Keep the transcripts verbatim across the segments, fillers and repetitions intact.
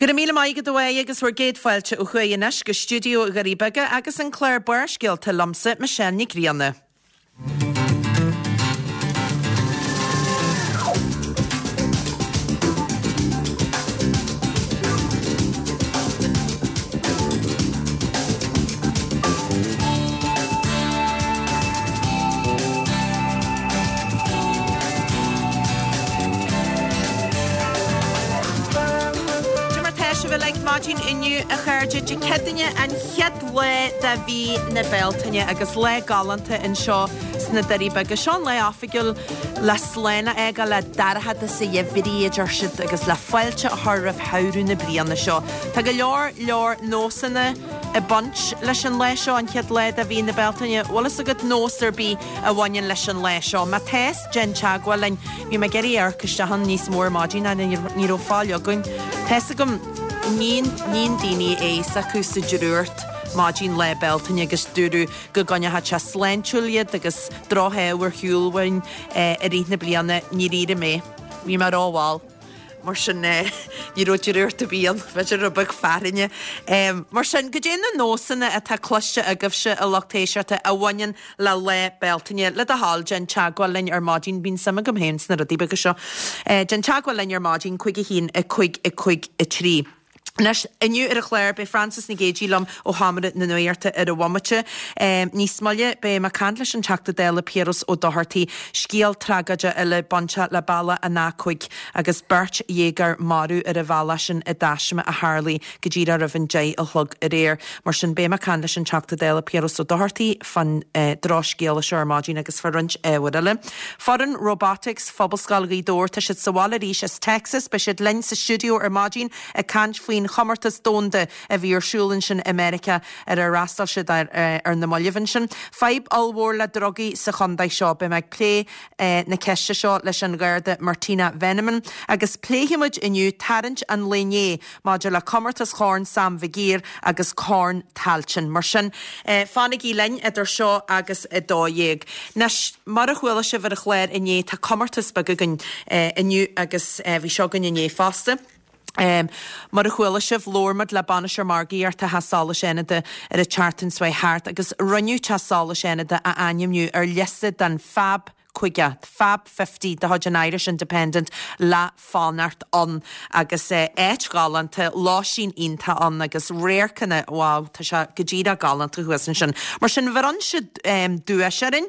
Go raibh míle maith agat a Mháire agus bhur gcéad fáilte ó thuaidh anois go stiúideo Dhoirí Beaga agus an clár Barrscéalta liomsa, Michelle Nic Grianna. Cad é mar tá sibh uilig maidin inniu a chairde Dé Céadaoine an chéad lá de mhí na Bealtaine agus lá galánta anseo sna Doirí Beaga. Seo an lá oifigiúil le slán a fhágáil le dorchadas an gheimhridh a deir siad agus le fáilte a chur roimh shamhradh na bliana seo. Tá go leor leor nósanna ag baint leis an lá seo an chéad lá de mhí na Bealtaine. Bhfuil fhios agat nós ar bith a bhaineann leis an lá seo. Má tá déan teagmháil linn bhí mé ag iarraidh amharc isteach ann níos mó ar maidin ach ní raibh fáil againn. Tá fhios agam níonn níonn daoine é s'acu sa drúcht maidin Lá Bealtaine agus dúradh go gcoinneodh sé sláintiúil iad agus drochádh ar shiúl uainn i rith na bliana níor éirigh mé. Bhí mé rómhall. Mar sin ní raibh drúcht ar bith ann, b'fhéidir rud beag fearthainne. Mar sin, goidé na nósanna atá cloiste agaibhse a lucht éisteachta a bhaineann le Lá Bealtaine, le do thoil, déan teagmháil linn ar maidin, bíonn suim agam féin sna rudaí beaga seo. Déan teagmháil linn ar maidin, cúig a haon, a cúig, a cúig, a trí. Anois, inniu ar an chlár, beidh Frances Nic Géadaigh liom ó Sheomra na Nuachta ar an bhomaite. Níos moille, beidh mé ag caint leis an Teachta Dála Piaras Ó Dochartaigh, scéal tragóide eile bainteach le bealach an A cúig agus beirt dhéagóir marbh ar an bhealach sin i dtaisme a tharlaigh go díreach roimh an deich a chlog aréir. Mar sin, beidh mé ag caint leis an Teachta Dála Piaras Ó Dochartaigh fán drochscéala seo ar maidin agus fá roinnt ábhair eile. Foireann Robotics Phobalscoil Ghaoth Dobhair, tá siad sa bhaile arís as Texas, beidh siad linn sa stiúideo ar maidin ag caint faoin chomórtas domhanda a bhí ar siúl ansin i Meiriceá ar ar fhreastail siad ar ar na mallaibh ansin. Fadhb ollmhór le drugaí sa chontae seo. Beidh mé ag plé na ceiste seo leis an Gharda Martina Veneman agus pléifimid inniu tarraingt an lae inné maidir le comórtas Chorn Sam Mhig Uidhir agus Corn Tailteann. Mar sin, fanaigí linn idir seo agus a dó dhéag. Anois, mar a chuala sibh ar an chlár inné, tá comórtas beag againn inniu agus bhí seo againn inné fosta. Mar a chuala sibh, labhair muid le Bainisteoir Margaíochta Theach Solais Fhánada ar an tseachtain seo thart agus rinneadh Teach Solais Fhánada a ainmniú ar liosta den Fab caoga, Fab Fifty de chuid an Irish Independent le fanacht ann agus áit ghalánta, lóistín iontach ann agus radharcanna, wow, tá sé go díreach galánta thuas ansin. Mar sin, bhronn siad duais orainn.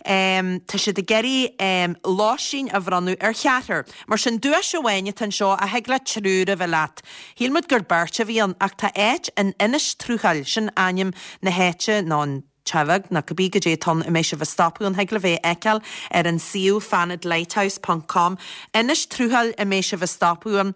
Tá siad ag iarraidh lóistín a bhronnadh ar cheathrar. Mar sin, duais amháin atá anseo a thig le triúr a bheith leat. Shíl muid gur beirt a bhí ann ach tá áit in Inis Truachail, sin ainm na háite nó an teach beag nó cibé goidé atá ann a mbeidh sibh ag stopadh ann, thig libh é a fheiceáil ar an suíomh fanadlighthouse ponc com. Inis Truachail a mbeidh sibh ag stopadh ann.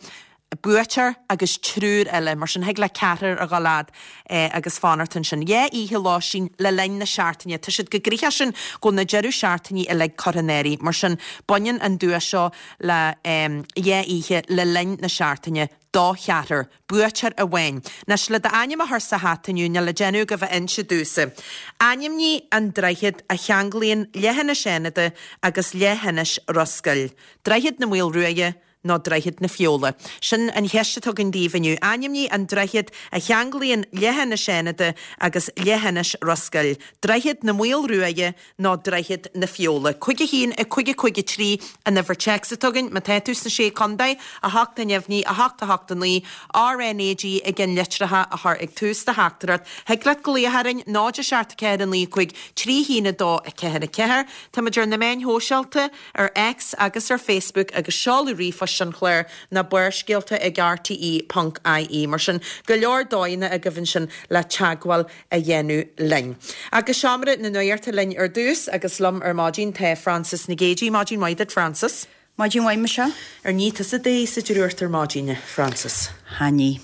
buaiteoir agus triúr eile, mar sin thig le ceathrar a dhul fhad agus fanacht ansin. Dhá oíche lóistín le linn na seachtaine. Tá siad chomh gnoitheach sin go bhfuil na deireadh seachtainí uilig curtha in áirithe. Mar sin, baineann an duais seo le dhá oíche le linn na seachtaine do cheathrar. Buaiteoir amháin. Anois, le d'ainm a chur sa hata inniu, níl le déanamh agaibh a inse domhsa. Ainmnigh an droichead a cheanglaíonn Leithinis Fhánada agus Leithinis Ros Goill. Droichead na Maolruaidhe, nó Droichead na Feola? Sin an cheist atá againn daoibh inniu. Ainmnigh an droichead a cheanglaíonn Leithinis Fhánada agus Leithinis Ros Goill. Droichead na Maolruaidhe nó Droichead na Feola? Cúig a haon, a cúig a cúig a trí an uimhir téacs atá againn. Má tá tú sna Sé Contae, a hocht a neamhní, a hocht a hocht a naoi, RnaG i gceannlitreacha a chur ag tús do theachtaireacht. Thig leat glaoch orainn, náid a seacht a ceathair a naoi cúig trí haon a dó a ceathair a ceathair. Táimid ar na meáin shóisialta. ar X agus ar Facebook agus seoladh ríomhphoist an chláir ná barrscéalta ag rte ponc ie. Mar sin, go leor dóigheanna agaibh ansin le teagmháil a dhéanamh linn. Agus Seomra na Nuachta linn ar dtús agus liom ar maidin tá Frances Nic Géadaigh. Maidin mhaith duit, Frances. Maidin mhaith, Michelle. Ar nigh tusa d'aghaidh sa drúcht ar maidin, a Frances? Cha nigh.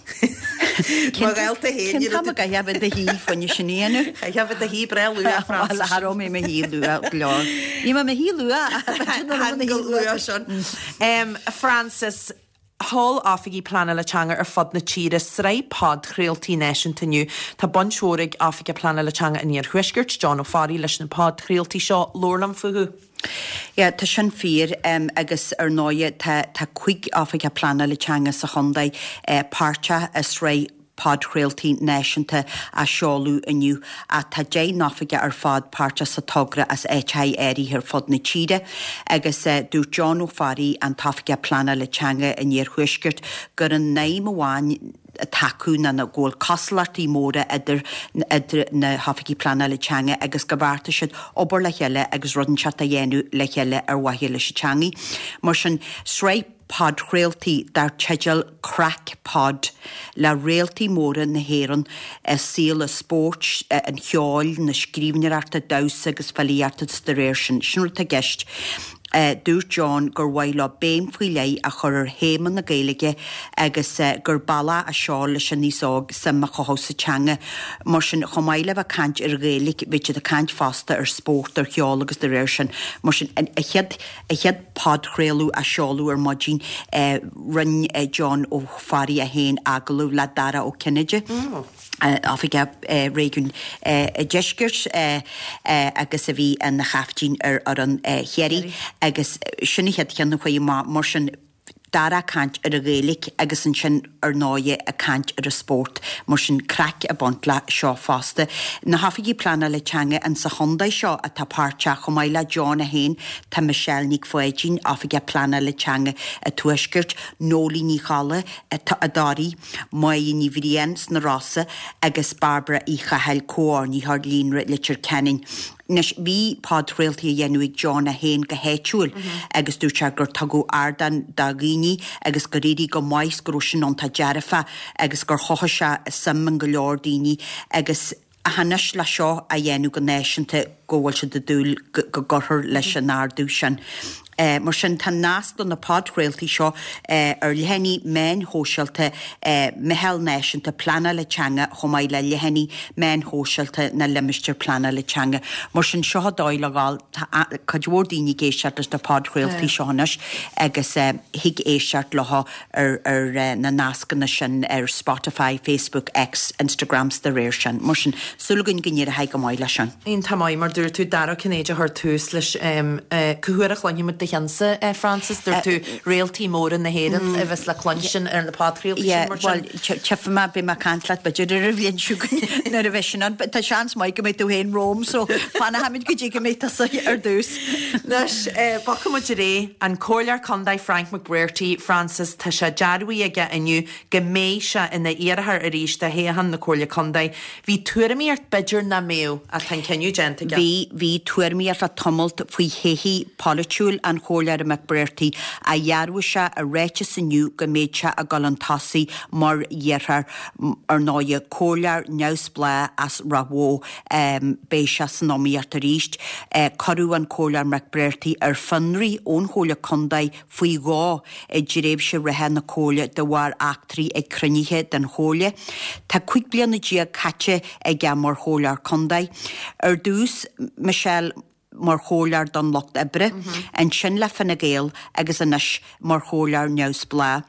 Mo ghaolta féin, Cén t-am a gcaithfeá bheith i do shuí fá choinne sin a dhéanamh? Chaithfeá bheith i do shuí breá luath, Frances. Bhuel, cha raibh mé i mo shuí luath go leor. Ní mé i mo shuí luath, ach b'fhéidir nach raibh mé i mo shuí luath. Sin. Frances, Sheol oifigigh pleanála teanga ar fud na tíre sraith podchraoltaí náisiúnta inniu. Tá baint mhór ag Oifigeach Pleanála Teanga an Iarthuaiscirt, John Ó Fearraigh, leis na podchraoltaí seo. Labhair liom fúthu. Yeah, tá sin fíor um, agus ar ndóigh tá, tá cúig oifigeach pleanála teanga sa chontae eh, páirteach i sraith podchraoltaí náisiúnta a seoladh inniu ach tá deich n-oifigeach ar fad páirteach sa togra as áiteacha áirithe ar fud na tíre agus eh, dúirt John Ó Fearraigh an t-oifigeach pleanála teanga in Iarthuaisceart gur an aidhm amháin atá acu ná go bhfuil cosúlachtaí móra idir idir na hoifigigh pleanála teanga agus go bheartaigh siad obair le chéile agus rud inteacht a dhéanamh le chéile ar mhaithe leis an teangaidh. Mar sin sraith podchraoltaí dar teideal Craic Pod le réaltaí móra na hÉireann i saol an spóirt, an cheoil, na scríbhneoireachta, damhsa agus filíochta de réir sin. Sin rud atá i gceist. Dúirt John gur mhaith leo béim faoi leith a chur ar théama na Gaeilge agus gur bealach é seo leis an aos óg suim a chothú sa teanga. Mar sin chomh maith le bheith ag caint ar Ghaeilge, bhí siad ag caint fosta ar spórt, ar cheol agus de réir sin. Mar sin an chéad a chéad podchraoladh a seoladh ar maidin rinne John Ó Fearraigh é féin agallamh le Dara Ó Cinnéide. Oifigeach Réigiún Deiscirt agus a bhí ina chaiftín ar fhoireann Chiarraí agus sin an chéad cheann a chuaigh amach mar sin Dara ag caint ar an Ghaeilge agus ansin ar ndóigh ag caint ar an spórt mar sin craic ag baint le seo fosta. Na hoifigigh pleanála teanga in sa chontae seo atá páirteach chomh maith le John é féin tá Michelle Nic Pháidín, Oifigeach Pleanála Teanga an Tuaiscirt, Noeleen Ní Cholla i dToraí, Máire Ní Bhriain sna Rosa agus Barbara Uí Chathail, Comhordaitheoir Líonra Leitir Ceanainn. Anois bhí podchraoltaí á dhéanamh ag John é féin go háitiúil agus dúirt sé gur tugadh ardán do dhaoine agus gur éirigh go maith is go raibh sin iontach dearfa agus gur chothaigh sé suim in go leor daoine agus ach anois le seo a dhéanamh go náisiúnta go bhfuil siad ag dúil go gcuirfear leis an ardú sin. Mar sin tá nasc do na podchraoltaí seo ar leathanaigh meáin shóisialta Meitheal Náisiúnta Pleanála Teanga chomh maith le leathanaigh meáin shóisialta na limistéar pleanála teanga. Mar sin seo an dóigh le dhul, tá cuid mhór daoine ag éisteacht leis na podchraoltaí seo anois agus thig éisteacht leo ar ar na nascanna sin ar Spotify, Facebook, X, Instagram 's de réir sin. Mar sin súil againn go n-éireoidh go maith leis sin. Iontach maith, mar dúirt tú Dara Ó Cinnéide a chuir tús leis. Cá huair a chluinfidh muid do cheannsa, Frances? Dúirt tú réaltaí móra na hÉireann a bheas le cluinstin ar na podchraoltaí sin mar sin. Bhuel, tchífidh mé, beidh mé ag caint leat b'fhéidir ar an bhliain seo chugainn nuair a bheidh sin ann. Tá seans maith go mbeidh tú féin romham so fanfaimid go dtí go mbeidh tusa ar dtús. Anois, bogfaidh muid ar aghaidh. An Comhairleoir Contae Frank McBrearty, Frances, tá sé dearbhaithe aige inniu go mbeidh sé ina iarrthóir arís do thoghchán na Comhairle Contae. Bhí tuairimíocht b'fhéidir nach mbeadh ach tá an cinneadh déanta aige. Bhí, bhí tuairimíocht le tamalt faoi thodhchaí pholaitiúil an Chomhairleora McBrearty ach dhearbhaigh sé i ráiteas inniu go mbeidh sé ag dul chun tosaigh mar iarrthóir, ar ndóigh, comhairleoir neamhspleách as Ráth Bhoth, beidh sé san iomaíocht arís. Cuireadh an Comhairleoir McBrearty ar fionraí ón Chomhairle Contae faoi dhó i dtréimhse reatha na Comhairle de bharr eachtraí ag cruinnithe den Chomhairle. Tá cúig bliana déag caite aige mar Chomhairleoir Contae. Ar dtús, Michelle mar Chomhairleoir don Lucht Oibre, ansin le Fine Gael agus anois mar Chomhairleoir neamhspleách.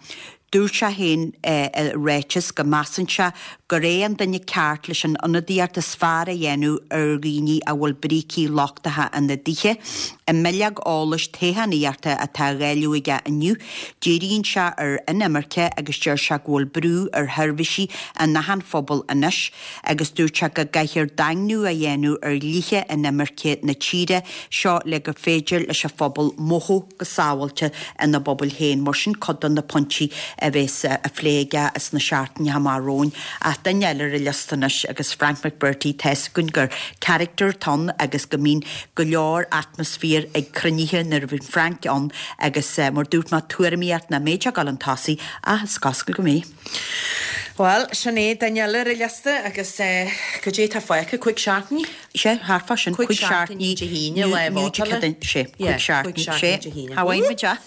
Dúirt sé féin i ráiteas go measann sé gur é an duine ceart leis an ionadaíocht is fearr a dhéanamh ar dhaoine a bhfuil brící lochtacha ina dtithe. I mbileog eolais toghchánaíochta atá á dháileadh aige inniu, díríonn sé ar inimirce agus deir sé go bhfuil brú ar sheirbhísí in achan phobal anois agus dúirt sé go gcaithfear daingniú a dhéanamh ar dhlíthe inimirce na tíre seo le gur féidir leis an phobal mothú go sábháilte ina bpobail féin. Mar sin cuid de na pointí a bheas á phlé aige sna seachtainí amach romhainn. Ach duine eile ar an liosta anois agus Frank McBrearty, tá 'fhios againn gur character atá ann agus go mbíonn go leor atmaisféar ag cruinnithe nuair a bhíonn Frank ann agus mar dúirt mé tuairimíocht nach mbeidh sé ag dul chun tosaigh ach is cosúil go mbeidh. Bhuel, sin é duine eile ar an liosta agus goidé tá fágtha, cúig seachtainí? Sé, thart fá sin, cúig seachtainí Dé hAoine, lá vótála. Sé, cúig seachtainí, sé. Cha bhfaighidh muid é.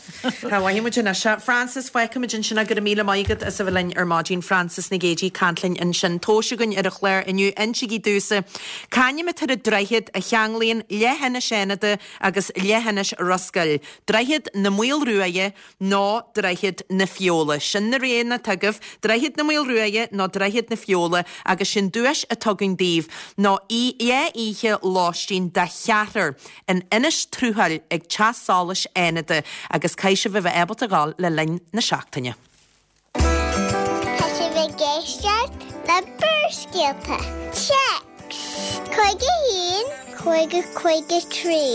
Cha bhfaighidh muid anois é. Frances, fágfaimid ansin é, go raibh míle maith agat as a bheith linn ar maidin. Frances Nic Géadaigh ag caint linn ansin. Tomhas againn ar an chlár inniu, insígí domhsa, c'ainm atá ar an droichead a cheanglaíonn Leithinis Fhánada agus Leithinis Ros Goill? Droichead na Maolruaidhe nó Droichead na Feola? Sin na roghanna atá agaibh, Droichead na Maolruaidhe nó Droichead na Feola agus sin duais atá againn daoibh ná dhá oíche lóistín do cheathrar in Inis Truachail ag Teach Solais Fhánada agus caithfidh sibh a bheith ábalta ghabháil le linn na seachtaine. Tá sibh ag éisteacht le Barrscéalta. Téacs cúig a haon cúig a cúig a trí.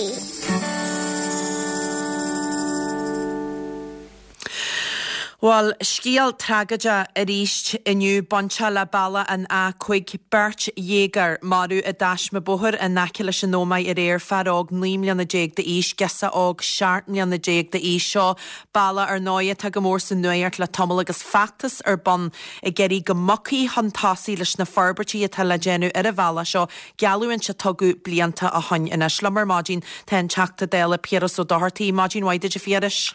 Bhuel, scéal tragóideach arís inniu bainteach le bealach an A cúig. Beirt dhéagóir marbh i dtaisme bóthair in aice leis an Ómaigh aréir, fear óg naoi mbliana déag d'aois, girseach óg seacht mbliana déag d'aois. Seo bealach ar ndóigh atá go mór sa nuacht le tamall agus feachtas ar bun ag iarraidh go mbogfaí chun tosaigh leis na forbairtí atá le déanamh ar an bhealach seo, geallúint a tugadh blianta ó shoin anois. Liom ar maidin tá an Teachta Dála Piaras Ó Dochartaigh. Maidin mhaith duit a Phiarais.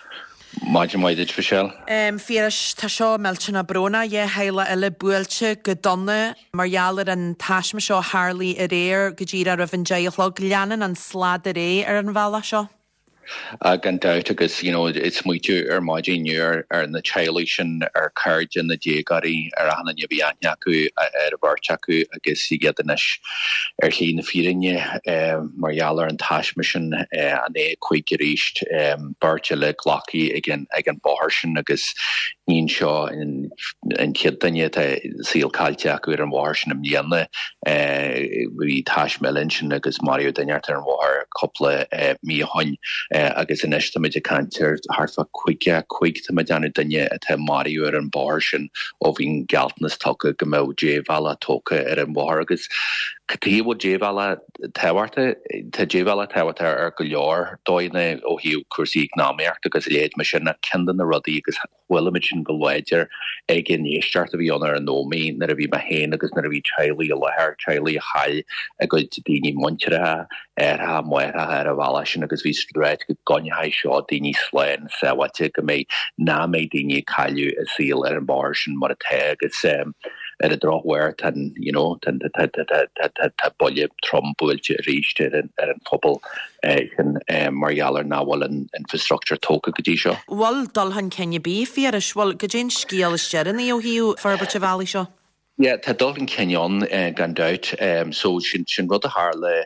Maidin mhaith duit, Michelle. A Phiarais, tá seo millteanach brónach, dhá theaghlach eile buailte go dona mar gheall ar an taisme seo a tharlaigh aréir go díreach roimh an deich a chlog. Leanann an slad ar aghaidh ar an bhealach seo. Ah, gan dabht agus you know, ag smaoitiú ar maidin inniu ar, ar na teaghlaigh sin, ar chairde na déagóirí, ar achan duine a bhí aithne acu ar an bheirt acu agus iad anois ar shlí na fírinne mar gheall ar an taisme sin, an A cúig arís, beirt eile glactha ag an ag an bóthar sin agus ní hin seo an chéad duine atá saol caillte acu ar an bhóthar sin i mbliana. Bhí taisme eile ansin agus maraíodh duine ar an bhóthar cúpla mí ó shoin agus anois táimid ag caint ar thart fá caoga cúig tá mé ag déanamh duine atá maraithe ar an bóthar sin ó bhí an gealltanas tugtha go mbeadh débhealach tógtha ar an bhóthar agus cad chuige a bhfuil débhealach tábhachtach? Tá débhealach tábhachtach ar go leor dóigheanna ó thaobh cúrsaí eacnamaíochta agus a leithéid mar sin ach ceann de na rudaí agus chuala muid sin go láidir ag an éisteacht a bhí ann ar an Ómaigh nuair a bhí mé féin agus nuair a bhí teaghlaigh i láthair, teaghlaigh a chaill a gcuid daoine muinteartha, athracha, máithreacha ar an bhealach sin agus bhí siad ag ráit go gcoinneoidh seo daoine slán sábháilte, go mbeidh, nach mbeidh daoine ag cailleadh a saol ar an bhóthar sin mar atá agus ar an drochuair tá an, you know, tá, tá, tá, tá, tá, tá buille trom buailte arís ar an, ar an phobal sin mar gheall ar nach bhfuil an infrastructure tógtha go dtí seo. Bhfuil dul chun cinn ar bith, a Phiarais? Bhfuil, goidé an scéal is deireanaí ó thaobh forbairt an bhealaigh seo? Yeah, tá dul chun cinn ann gan dabht. So sin, sin rud a tharla,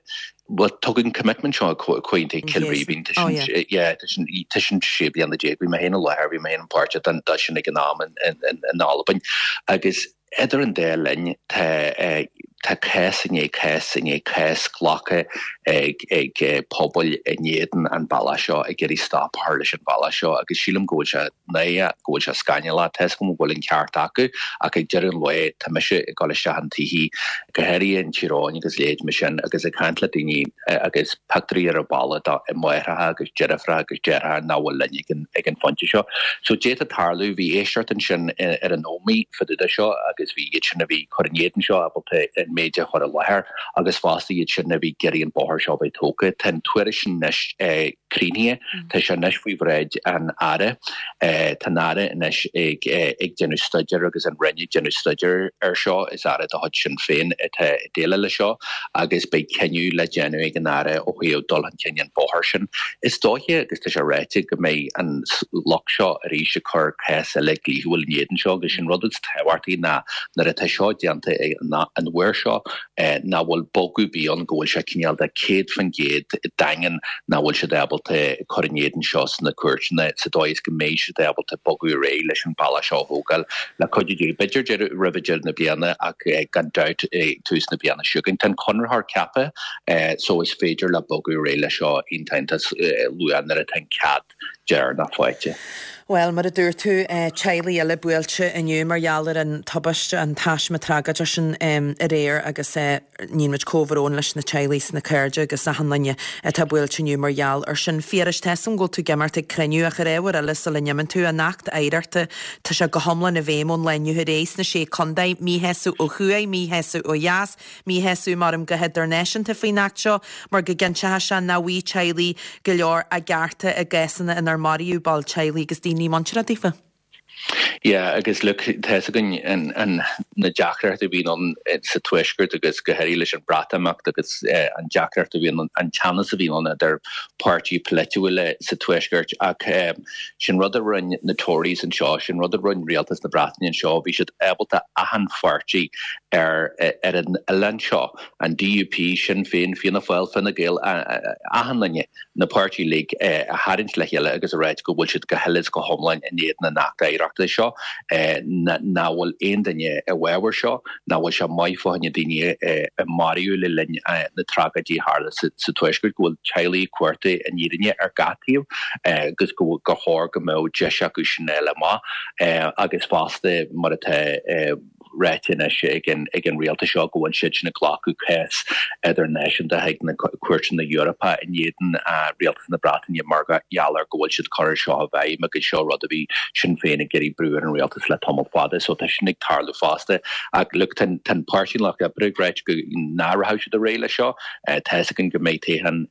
bhuel tugadh an commitment seo Comhaontú Chill Rímhinn, tá sin, yeah, tá sin, tá sin sé bliana déag, bhí mé féin i láthair, bhí mé féin páirteach den, de sin ag an am in, in, in Albain agus idir an dá linn tá, tá cás i ndiaidh cás i ndiaidh cás glactha ag, ag pobail in éadan an bealach seo, ag iarraidh stop a chur leis an bhealach seo agus sílim go bhfuil sé náireach, go bhfuil sé scannalach, tá 'fhios agam go bhfuil an ceart acu ach ag deireadh an lae tá mise ag dul isteach in tithe, go háirithe in Tír Eoghain agus leithéid mar sin agus ag caint le daoine agus pictiúirí ar an bhalla de máithreacha agus deirfiúracha agus deartháireacha nach bhfuil linn ag an ag an phointe seo. So d'fhéadfadh tarlú, bhí éisteacht ansin ar an Ómaigh fá dtaobh de seo agus bhí iad sin a bhí ag cur in éadan seo ábalta an méid a chur i láthair agus fosta iad sin a bhí ag iarraidh an bóthar seo a bheith tógtha. Tá an tuairisc sin anois críochnaithe, tá sé anois faoi bhráid an Aire. Tá an Aire anois ag ag déanamh staidéir agus an Roinn ag déanamh staidéir ar seo. Is Aire de chuid Sinn Féin atá ag déileáil leis seo agus beidh cinneadh le déanamh ag an Aire ó thaobh dul chun cinn an bhóthair sin. Is dóiche, agus tá sé ráite, go mbeidh an lucht seo arís ag cur cás eile dlíthiúil in éadan seo agus sin rud is tábhachtaí ná nuair atá seo déanta an uair seo nach bhfuil bogadh ar bith ann, go bhfuil sé cineál de céad faoin gcéad daingean nach bhfuil siad ábalta cur in éadan seo sna cúirteanna sa dóigh is go mbeidh siad ábalta bogadh ar aghaidh leis an bealach seo a thógáil le cuidiú Dé, b'fhéidir deireadh roimh deireadh na bliana ach gan dabht ag tús na bliana seo chugainn. Tá an conraitheoir ceaptha so is féidir leo bogadh ar aghaidh leis seo iontach iontach luath nuair atá an cead deireanach faighte. Bhuel, mar a dúirt tú, teaghlaigh eile buailte inniu mar gheall ar an tubaiste, an taisme tragóideach sin aréir agus níonn muid comhbhrón leis na teaghlaigh is na cairde agus achan duine atá buailte inniu mar gheall ar sin. Phiarais, tá 'fhios a'm go bhfuil tú ag imeacht ag cruinniú ach ar ábhar eile sula n-imíonn tú, an Acht Oidhreachta, tá sé go hiomlán i bhfeidhm ón lá inniu ar aghaidh sna Sé Contae, míshásamh ó thuaidh, míshásamh ó dheas, míshásamh maram go hidirnáisiúnta faoin Acht seo mar go gcinnteoidh sé nach bhfaighidh teaghlaigh go leor a gcearta i gcásanna inar maraíodh ball teaghlaigh agus daoine muinteartha daofa. Yeah, agus look, tá 'fhios againn an, an, na deacrachtaí a bhíonn ann sa Tuaisceart agus go háirithe leis an Bhreatimeacht agus eh, an deacracht a bhíonn an teannas a bhíonn ann idir páirtí polaitiúla sa Tuaisceart ach eh, sin rud a rinne na Tories anseo, sin rud a rinne rialtas na Breataine anseo, bhí siad ábalta achan pháirtí ar, ar an oileán seo, an DUP, Sinn Féin, Fianna Fáil, Fine Gael, achan duine na páirtithe uilig a tharraingt le chéile agus a ráit go bhfuil siad go huile is go hiomlán in éadan an Acht Oidhreachta seo, nach bhfuil aon duine i bhfabhar seo, nach bhfuil sé maith fá choinne daoine a maraíodh le linn na tragóidí a tharla sa Tuaisceart, go bhfuil teaghlaigh ag cuartú an fhírinne ar gach taobh agus gur chóir go mbeadh deis acu sin a fháil amach agus fosta mar atá ráite anois ag an ag an rialtas seo go bhfuil siad sin ag glacadh cás idirnáisiúnta chuig na cúirteanna Eorpacha in éadan rialtas na Breataine mar gheall ar go bhfuil siad cur seo i bhfeidhm agus seo rud a bhí Sinn Féin ag iarraidh brú ar an rialtas le tamall fada so tá sin ag tarlú fosta ach look tá an Páirtí Lucht Oibre ag ráit go nach rachaidh siad ar aghaidh leis seo tá 'fhios againn go mbeidh toghchán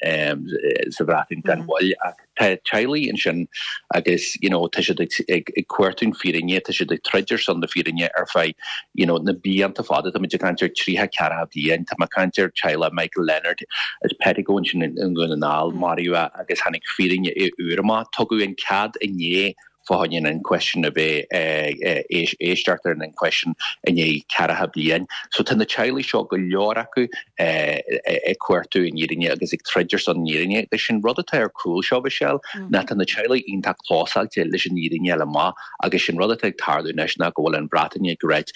sa Bhreatain gan mhoill ach tá teaghlaigh ansin agus you know tá siad ag ag ag cuartú an fírinne tá siad ag troid ar son na fírinne ar feadh you know na blianta fada tá muid ag caint ar tríocha ceathracha bliain tá mé ag caint ar teaghlach Michael Leonard as Pettigo ansin i nDún na nGall maraíodh agus tháinig fírinne úr amach tugadh an cead inné fá choinne an inquest sin a bheith éisteacht ar an inquest sin i ndiaidh ceathracha bliain. So tá na teaghlaigh seo go leor acu ag cuartú an fhírinne agus ag troid ar son an fhírinne. Agus sin rud atá ar cúl seo Michelle ná tá na teaghlaigh iontach clósáilte leis an fhírinne a fháil amach agus sin rud atá ag tarlú anois ná go bhfuil an Bhreatain ag ráit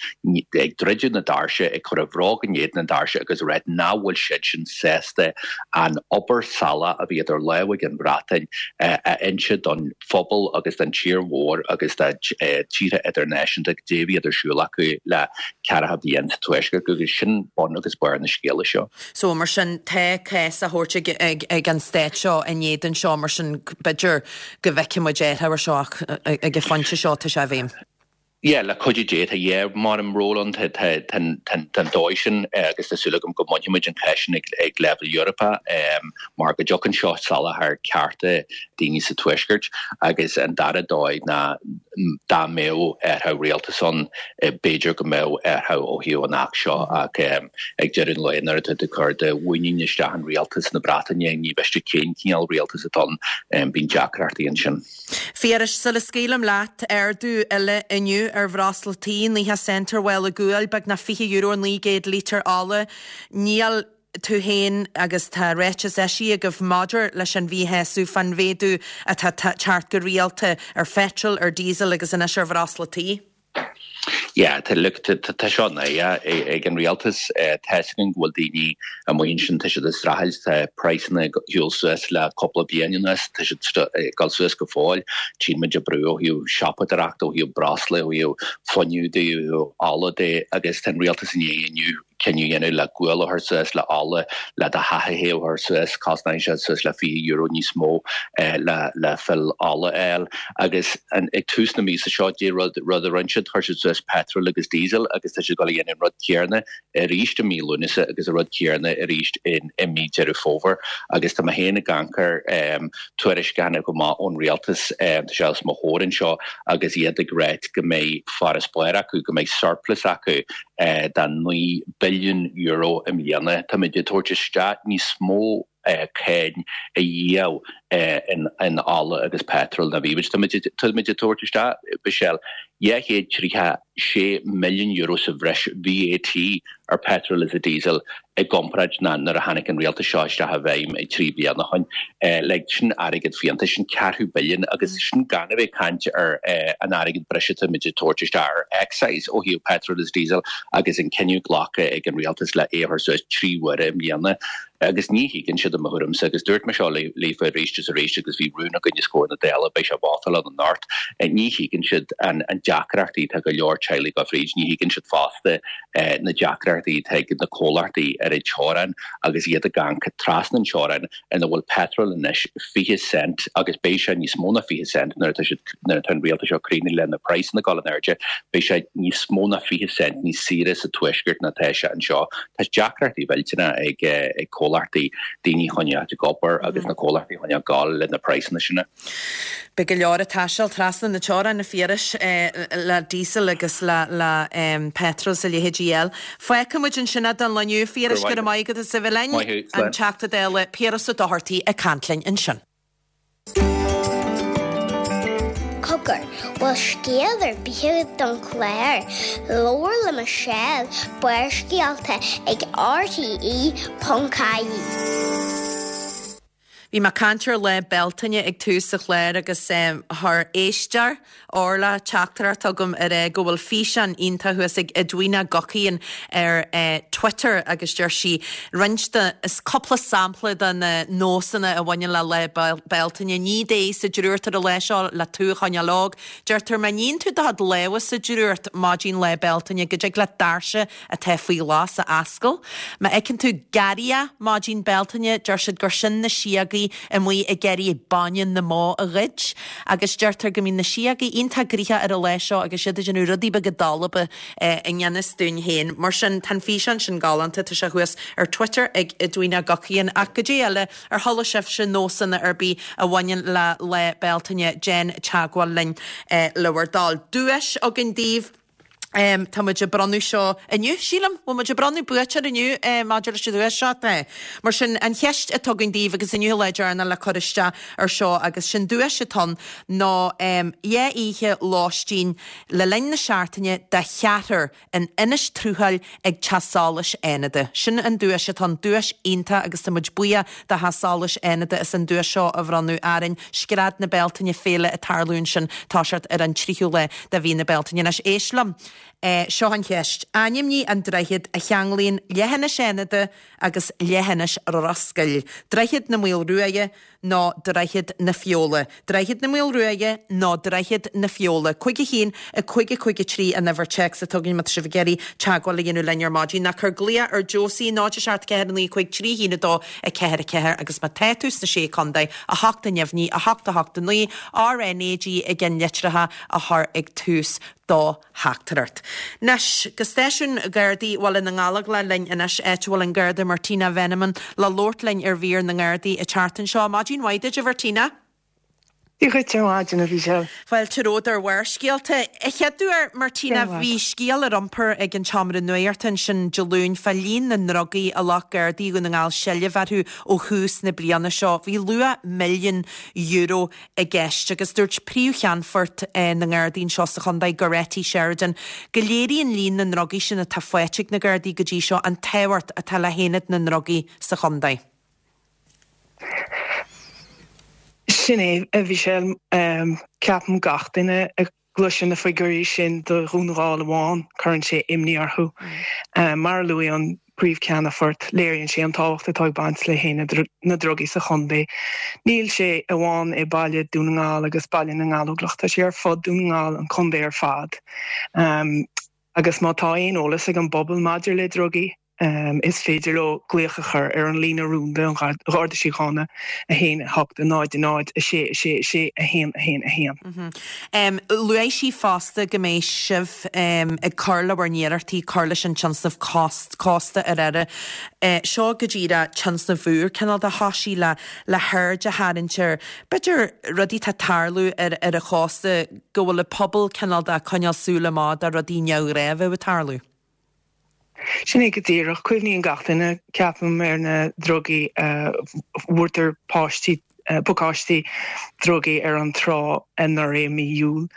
ag druidim na doirse ag cur a bhróg in éadan na doirse agus ag ráit nach bhfuil siad sin sásta an obair salach a bhí idir lámha ag an Bhreatain a inse don phobal agus don tír mhór agus do tíortha idirnáisiúnta goidé a bhí ar siúl acu le ceathracha bliain sa Tuaisceart agus sin bun agus barr na scéala seo. So mar sin tá cás á thabhairt ag, ag, ag an stát seo in éadan seo mar sin b'fhéidir go bhfeicfidh muid athrú ar seo ach ag an phointe seo tá sé i bhfeidhm. Yeah, le cuidiú Dé tá yeah, mar an ról an an dóigh sin agus tá súil agam go mbainfidh muid an cás sin ag, ag leibhéal Eorpach um, mar go dtugann seo salach ar cearta daoine sa Tuaisceart agus an dara dóigh ná dá mbeadh athrú rialtas ann b'fhéidir go mbeadh athrú ó thaobh an Acht seo ach um, ag deireadh an lae nuair atá tú cur do mhuinín isteach in rialtas na Breataine ní miste cén cineál rialtas atá ann um, bíonn deacrachtaí ansin. Phiarais sula scaoilim leat ardú eile inniu ar bhreosla tí naocha cent ar mhála guail beagnach fiche euro naoi gcéad lítear ola. Níl tú féin agus tá ráiteas eisithe agaibh maidir leis an mhíshásamh fán mhéadú atá teacht go rialta ar pheitreal, ar diesel agus anois ar bhreosla tí. Yeah, tá look tá seo na ag an rialtas tá 'fhios againn go bhfuil daoine amuigh ansin tá siad ag streachailt tá praghsanna ag dul suas le cúpla bliain anuas tá siad ag dul suas go fóill tchíonn muid an brú ó thaobh siopadóireacht ó thaobh breosla ó thaobh fuinneamh de ó thaobh ola de agus tá an rialtas i ndiaidh inniu cinneadh a dhéanamh le gual a chur suas le ola le do theach a théamh suas cosnaíonn sé suas le fiche euro níos mó le le fill ola a fháil agus an ag tús na míosa seo dé rud rud a rinne siad chuir siad suas petrol agus diesel agus tá siad ag dul a dhéanamh an rud céanna arís i mí Lúnasa agus an rud céanna arís in i mí Deireadh Fómhair agus tá mé féin ag amharc ar um, tuairisc a tháinig amach ón rialtas um, tá sé os mo chomhair anseo agus iad ag ráit go mbeidh farasbarr acu go mbeidh surplus acu uh, de naoi billiún euro i mbliana Tá muid ag tabhairt isteach níos mó uh, cáin a dhíol uh, in, in ola agus petrol ná bhí. Tá muid ag tabhairt isteach Michelle dhá chéad tríocha sé milliún euro sa bhreis VAT ar petrol is a diesel i gcomparáid ná nuair a tháinig an rialtas seo isteach i bhfeidhm ag trí bliana ó shin. Like sin airgead fiánta, sin ceathrú billiún agus sin gan a bheith ag caint ar an airgead breise atá muid ag tabhairt isteach ar excise ó thaobh petrol is diesel agus an cinneadh glactha ag an rialtas le é a chur suas trí huaire i mbliana. Agus ní thuigeann siad i mo thuairimse agus dúirt mé seo leofa arís is arís agus bhí rún againn os comhair na Dála, beidh sé vótáil ann anocht, ní thuigeann siad an deacrachtaí atá go leor teaghlaigh ag dul fríd, ní thuigeann siad fosta na deacrachtaí atá ag na comhlachtaí ar an teorainn agus iad ag amharc trasna an teorainn ina bhfuil petrol anois fiche cent agus beidh sé níos mó ná fiche cent nuair atá siad nuair atá an rialtas seo críochnaithe le na praghsanna ag dul in airde, beidh sé níos mó ná fiche cent níos saoire sa tuaisceart ná atá sé anseo. Tá deacrachtaí mhillteanacha ag ag comhlachtaí, daoine a choinneáil ag obair agus na comhlachtaí a choinneáil ag gabháil le na praghsanna sin. Beidh go leor ag taisteal trasna na teorann, a Phiarais, le diesel agus le le petrol is a leithéidí eile. Fágfaidh muid ansin é don lá inniu, a Phiarais, go raibh maith agat as a bheith linn. Maith thú. An Teachta Dála Piaras Ó Dochartaigh ag caint linn ansin. Cogar, bhfuil scéal ar bith agat don chlár? Labhair le Michelle, Barrscéalta ag RTE ponc ie. Bhí mé ag caint ar Lá Bealtaine ag tús an chláir agus chuir éisteoir Orla teachtaireacht chugam ag rá go bhfuil físeán iontach thuas ag Edwina Guckian ar Twitter agus deir sí roinnt de, is cúpla sampla de na nósanna a bhaineann le Lá Bealtaine. Nigh d'aghaidh sa drúcht ar an lá seo le tú a choinneáil óg. Deirtear má níonn tú do chuid lámha sa drúcht maidin Lá Bealtaine go dtig leat doirse atá faoi ghlas a oscailt. Má fheiceann tú garraithe maidin Bealtaine deir siad gur sin na síogaí amuigh ag iarraidh bainne na mbó a ghoid agus deirtear go mbíonn na síogaí iontach gnoitheach ar an lá seo agus iad ag déanamh rudaí beaga dalba i ngan fhios dúinn féin. Mar sin, tá an físeán sin galánta, tá sé thuas ar Twitter ag Edwina Guckian. Ach goidé eile, ar chuala sibhse nósanna ar bith a bhaineann le Lá Bealtaine, déan teagmháil linn le bhur dtoil. Duais againn daoibh. Tá muid ag bronnadh seo inniu, sílim. Bhfuil muid ag bronnadh buaiteoir inniu maidir leis an duais seo? Tá. Mar sin, an cheist atá againn daoibh, agus inniu an lá deireanach le cur isteach ar seo, agus sin duais atá ann, ná dhá oíche lóistín le linn na seachtaine do cheathrar in Inis Truachail ag Teach Solais Fhánada. Sin an duais atá ann, duais iontach agus tá muid buíoch do Theach Solais Fhánada as an duais seo a bhronnadh orainn. Scread na Bealtaine, féile ag tarlú ansin, toiseacht ar an tríú lá de mhí na Bealtaine. Anois éist liom. Seo an cheist. Ainmnigh an droichead a cheanglaíonn Leithinis Fhánada agus Leithinis Ros Goill. Droichead na Maolruaidhe nó Droichead na Feola? Droichead na Maolruaidhe nó Droichead na Feola? Cúig a haon, a cúig a cúig a trí an uimhir téacs atá againn má tá sibh ag iarraidh teagmháil a dhéanamh linn ar maidin. Nó cuir glaoch ar Josie, náid a seacht ceathair a naoi cúig trí haon a dó a ceathair a ceathair agus má tá tú sna Sé Contae, a hocht a neamhní, a hocht a hocht a naoi, RNAG i gceannlitreacha a chur ag tús do theachtaireacht. Anois, go stáisiún Gardaí Bhaile na nGallóglach linn anois, áit a bhfuil an Garda Martina Veneman le labhairt linn ar mhír na nGardaí an tseachtain seo. Maidin mhaith duit, a Mhartina. Dia dhuit ar maidin, a Mhichelle. Fáilte romhat ar Bharrscéalta. A chéaduair, Martina, bhí scéal ar iompar ag an tSeomra Nuachta ansin Dé Luain fá líon na ndrugaí a ghlac Gardaí Dhún na nGall seilbh orthu ó thús na bliana seo. Bhí luach milliún euro i gceist agus dúirt Príomh-Cheannfort na nGardaí anseo sa chontae, Goretti Sheridan, go léiríonn líon na ndrugaí sin atá faighte ag na Gardaí go dtí seo an tábhacht atá le hAonad na nDrugaí sa chontae. Sin é, a Mhichelle. Ceapaim gach duine a gcloiseann na figiúirí sin do Dhún na nGall amháin, cuireann sé imní orthu. Mar a luaigh an Príomh-Cheannfort, léiríonn sé an tábhacht atá ag baint le hAonad na nDrugaí sa chontae. Níl sé amháin i baile Dún na nGall agus Baile na nGallóglach, tá sé ar fud Dún na nGall, an contae ar fad. Agus má tá aon eolas ag an bpobal maidir le drugaí, Is féidir leo glaoch a chur ar an líne rúnda an Gharda Síochána, a haon, a hocht, a náid, a náid, a sé, a sé, a sé, a haon, a haon, a haon. Luaigh sí fosta go mbeidh sibh ag cur le bhur n-iarrachtaí cur leis an tionscnamh Cósta ar Aire. Seo go díreach tionscnamh úr, cineál de thoisigh le le haird a tharraingt ar, b'fhéidir, rudaí atá ag tarlú ar ar an chósta, go bhfuil an pobal cineál de ag coinneáil súil amach do rudaí neamhghnách a bheith ag tarlú. Sin é go díreach. Cuimhníonn gach duine, ceapaim, ar na drugaí a bhfuair páistí, pacáistí drugaí ar an trá anuraidh i mí Iúil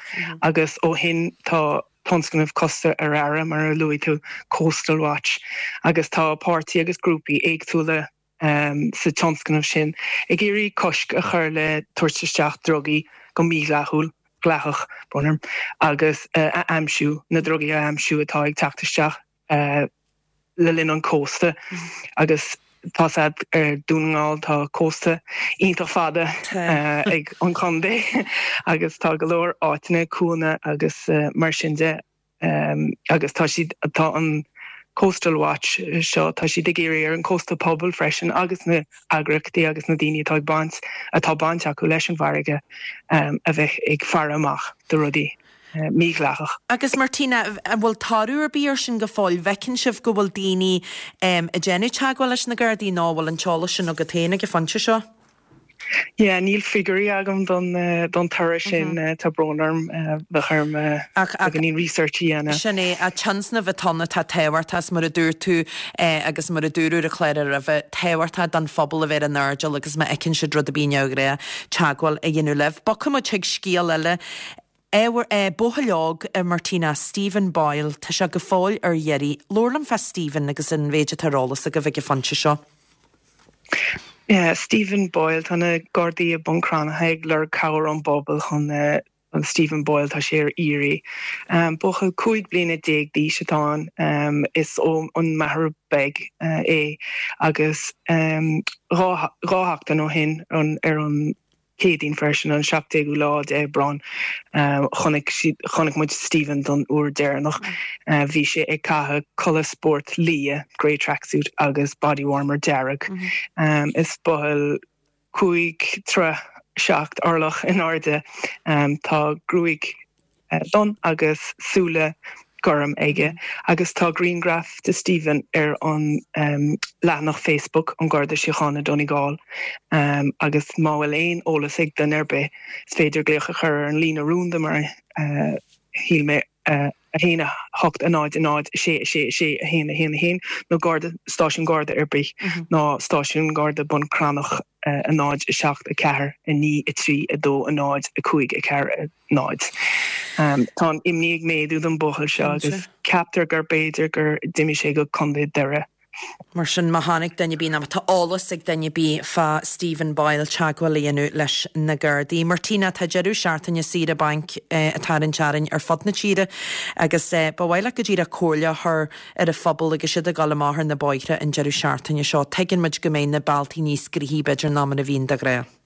agus ó shin tá tionscnamh Cósta ar Aire mar a luaigh tú Coastal Watch agus tá páirtí agus grúpaí éagsúla um, sa tionscnamh sin ag iarraidh cosc a chur le tabhairt isteach drugaí go mídhleathúil dleathach brón orm agus uh, a aimsiú na drugaí a aimsiú atá ag teacht isteach uh, le linn an cósta mm. agus tá ar Dún na nGall tá cósta iontach fada uh, ag an chontae agus tá go leor áiteanna cuanna agus uh, mar sin de um, agus tá siad tá an Coastal Watch seo tá siad ag iarraidh ar an cósta pobal freisin agus na heagraíochtaí agus na daoine atá ag baint atá baint acu leis an bhfarraige um, a bheith ag faire amach do rudaí. Eh, mídhleathach. Agus Martina, an bhfuil toradh ar bith ar sin go fóill bhfeiceann sibh go bhfuil daoine um, ag déanamh teagmháil leis na Gardaí nó bhfuil an t-eolas sin agat féin ag an phointe seo? Yeah, níl figiúirí agam don uh, don toradh sin mm -hmm. uh, tá brón orm uh, bheadh orm uh, research a dhéanamh. Sin é a tionscnamh atá atá tábhachtach mar a dúirt tú eh, agus mar a dúradh ar an chlár roimhe tábhachtach don phobal a bheith ar an airdeall agus má fheiceann siad rud ar bith neamhghnách teagmháil a dhéanamh libh. Bogfaidh muid chuig scéal eile Ábhar buachaill óg Martina Stephen Boyle, tá sé go fóill ar iarraidh. Labhair liom fá Stephen agus an mhéid atá ar eolas agaibh ag an phointe seo. Yeah, Stephen Boyle tá na Gardaí i mBun Cranncha ag lorg cabhair ón bpobal chun uh, an Stephen Boyle tá sé ar iarraidh. Um, Buachaill cúig bliana déag d'aois atá ann um, is ó an Machaire Beag uh, é agus um, dhá sheachtain ó shin ar an Céadaoin freisin an seachtú lá d'Aibreán uh, chonaic chonaic muid Stephen don uair deireanach uh, bhí sé ag caitheamh culaith spóirt liath grey tracksuit agus body warmer dearg. Mm -hmm. um, is buachaill cúig troigh seacht orlach in airde um, tá gruaig uh, donn agus súile gorm aige agus tá grianghraf de Stephen ar an um, leathanach Facebook an Garda Síochána Donegal um, agus má bhfuil aon eolas ag duine ar bith is féidir glaoch a chur ar an líne rúnda mar uh, shíl mé uh, a haon a hocht a náid a náid sé sé sé a haon a haon a haon nó garda stáisiún garda ar bith mm -hmm. nó stáisiún garda Bun Cranncha uh, a náid a seacht a ceathair a naoi a trí a dó a náid a cúig a ceathair a náid. Um, tá an imní ag méadú don bhuachaill seo agus ceaptar gur b'fhéidir gur d'imigh sé go Contae Doire. Mar sin má tháinig duine ar bith nó tá eolas ag duine ar bith fá Stephen Boyle teagmháil a dhéanamh leis na Gardaí. Martina tá deireadh seachtaine saoire bainc eh, ag tarraingt orainn ar fud na tíre agus eh, ba mhaith leat go díreach comhairle a chur ar an phobal agus siad ag dul amach ar na bóithre an deireadh seachtaine seo. Tuigeann muid go mbeidh na bealtaí níos gnoithí b'fhéidir ná mar a bhíonn de ghnáth.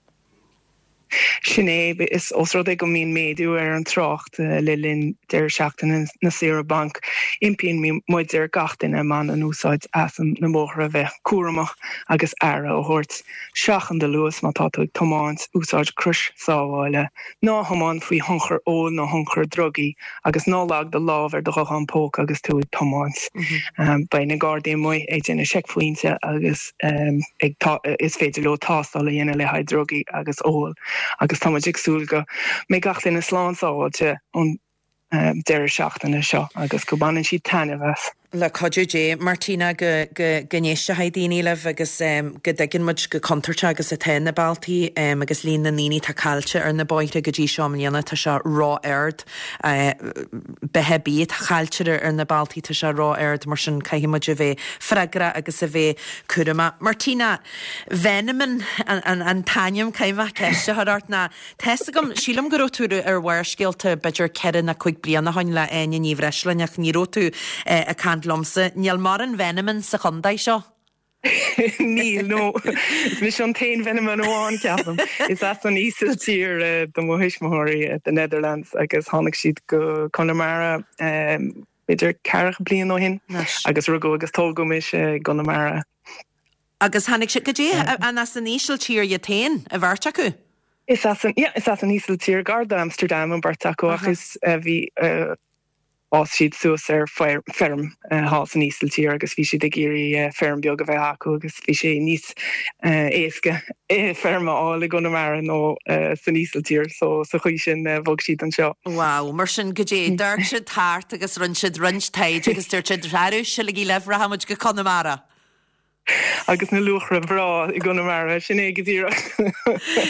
Sin é is os rud é go mbíonn méadú ar an trácht eh, le linn deireadh seachtaine na saoire bainc. Impíonn muid ar gach duine a bhaineann úsáid as na bóithre bheith cúramach agus aire a thabhairt. Seachain do luas má tá tú ag tiomáint úsáid crois sábhála, ná thiomáin faoi thionchar óil nó thionchar drugaí agus ná leag do lámh ar do ghuthán póca agus tú ag tiomáint. Mm -hmm. um, Beidh na Gardaí amuigh ag déanamh seicphointe agus um, ag is féidir leo tástáil a dhéanamh le haghaidh drugaí agus ól. Agus tá muid ag súil go mbeidh gach duine slán sábháilte an um, deireadh seachtaine seo agus go mbaineann siad taitneamh as. Le cuidiú Dé Martina go go go n-éistfidh daoine libh agus um, go dtuigeann muid chomh contúirteach agus atá na bealtaí um, agus líon na ndaoine atá caillte ar na bóithre go dtí seo i mbliana tá sé ró-ard uh, beatha bí caillte ar na bealtaí tá sé ró-ard mar sin caithfidh muid a bheith freagrach agus a bheith cúramach. Martina Veneman an, an, an t-ainm caithfidh mé ceist a chur ort ná Tá a fhios agam sílim go raibh tú ar Bharrscéalta b'fhéidir ceithre nó cúig bliana ó shin le Áine Ní Bhreisleáin ach ní raibh tú uh, ag caint liomsa. Níl mórán Veneman sa chontae seo? Níl no Is mise an t-aon Veneman amháin ceapaim. Is as an Ísiltír uh, do mo thuismitheoirí at the Netherlands agus tháinig siad go Conamara um, b'fhéidir ceathracha bliain ó shin agus rugadh agus tógadh mise i gConamara. Agus tháinig siad go dtí an as an Ísiltír iad féin an bheirt acu? Is as an yeah, is as an Ísiltír gar d'Amsterdam an bheirt acu agus uh, bhí uh, d'fhás siad suas ar feirm thall san Ísiltír agus bhí siad ag iarraidh feirm beag a bheith acu agus bhí sé níos éasca feirm a fháil i gConamara ná san Ísiltír so sa chaoi sin bhog siad anseo. Wow, mar sin go dtí d'amharc siad thart agus rinne siad roinnt taighde agus dúirt siad rarú silaí leibhramuid go Conamara. Agus na luachra breá i gConamara, sin é go díreach.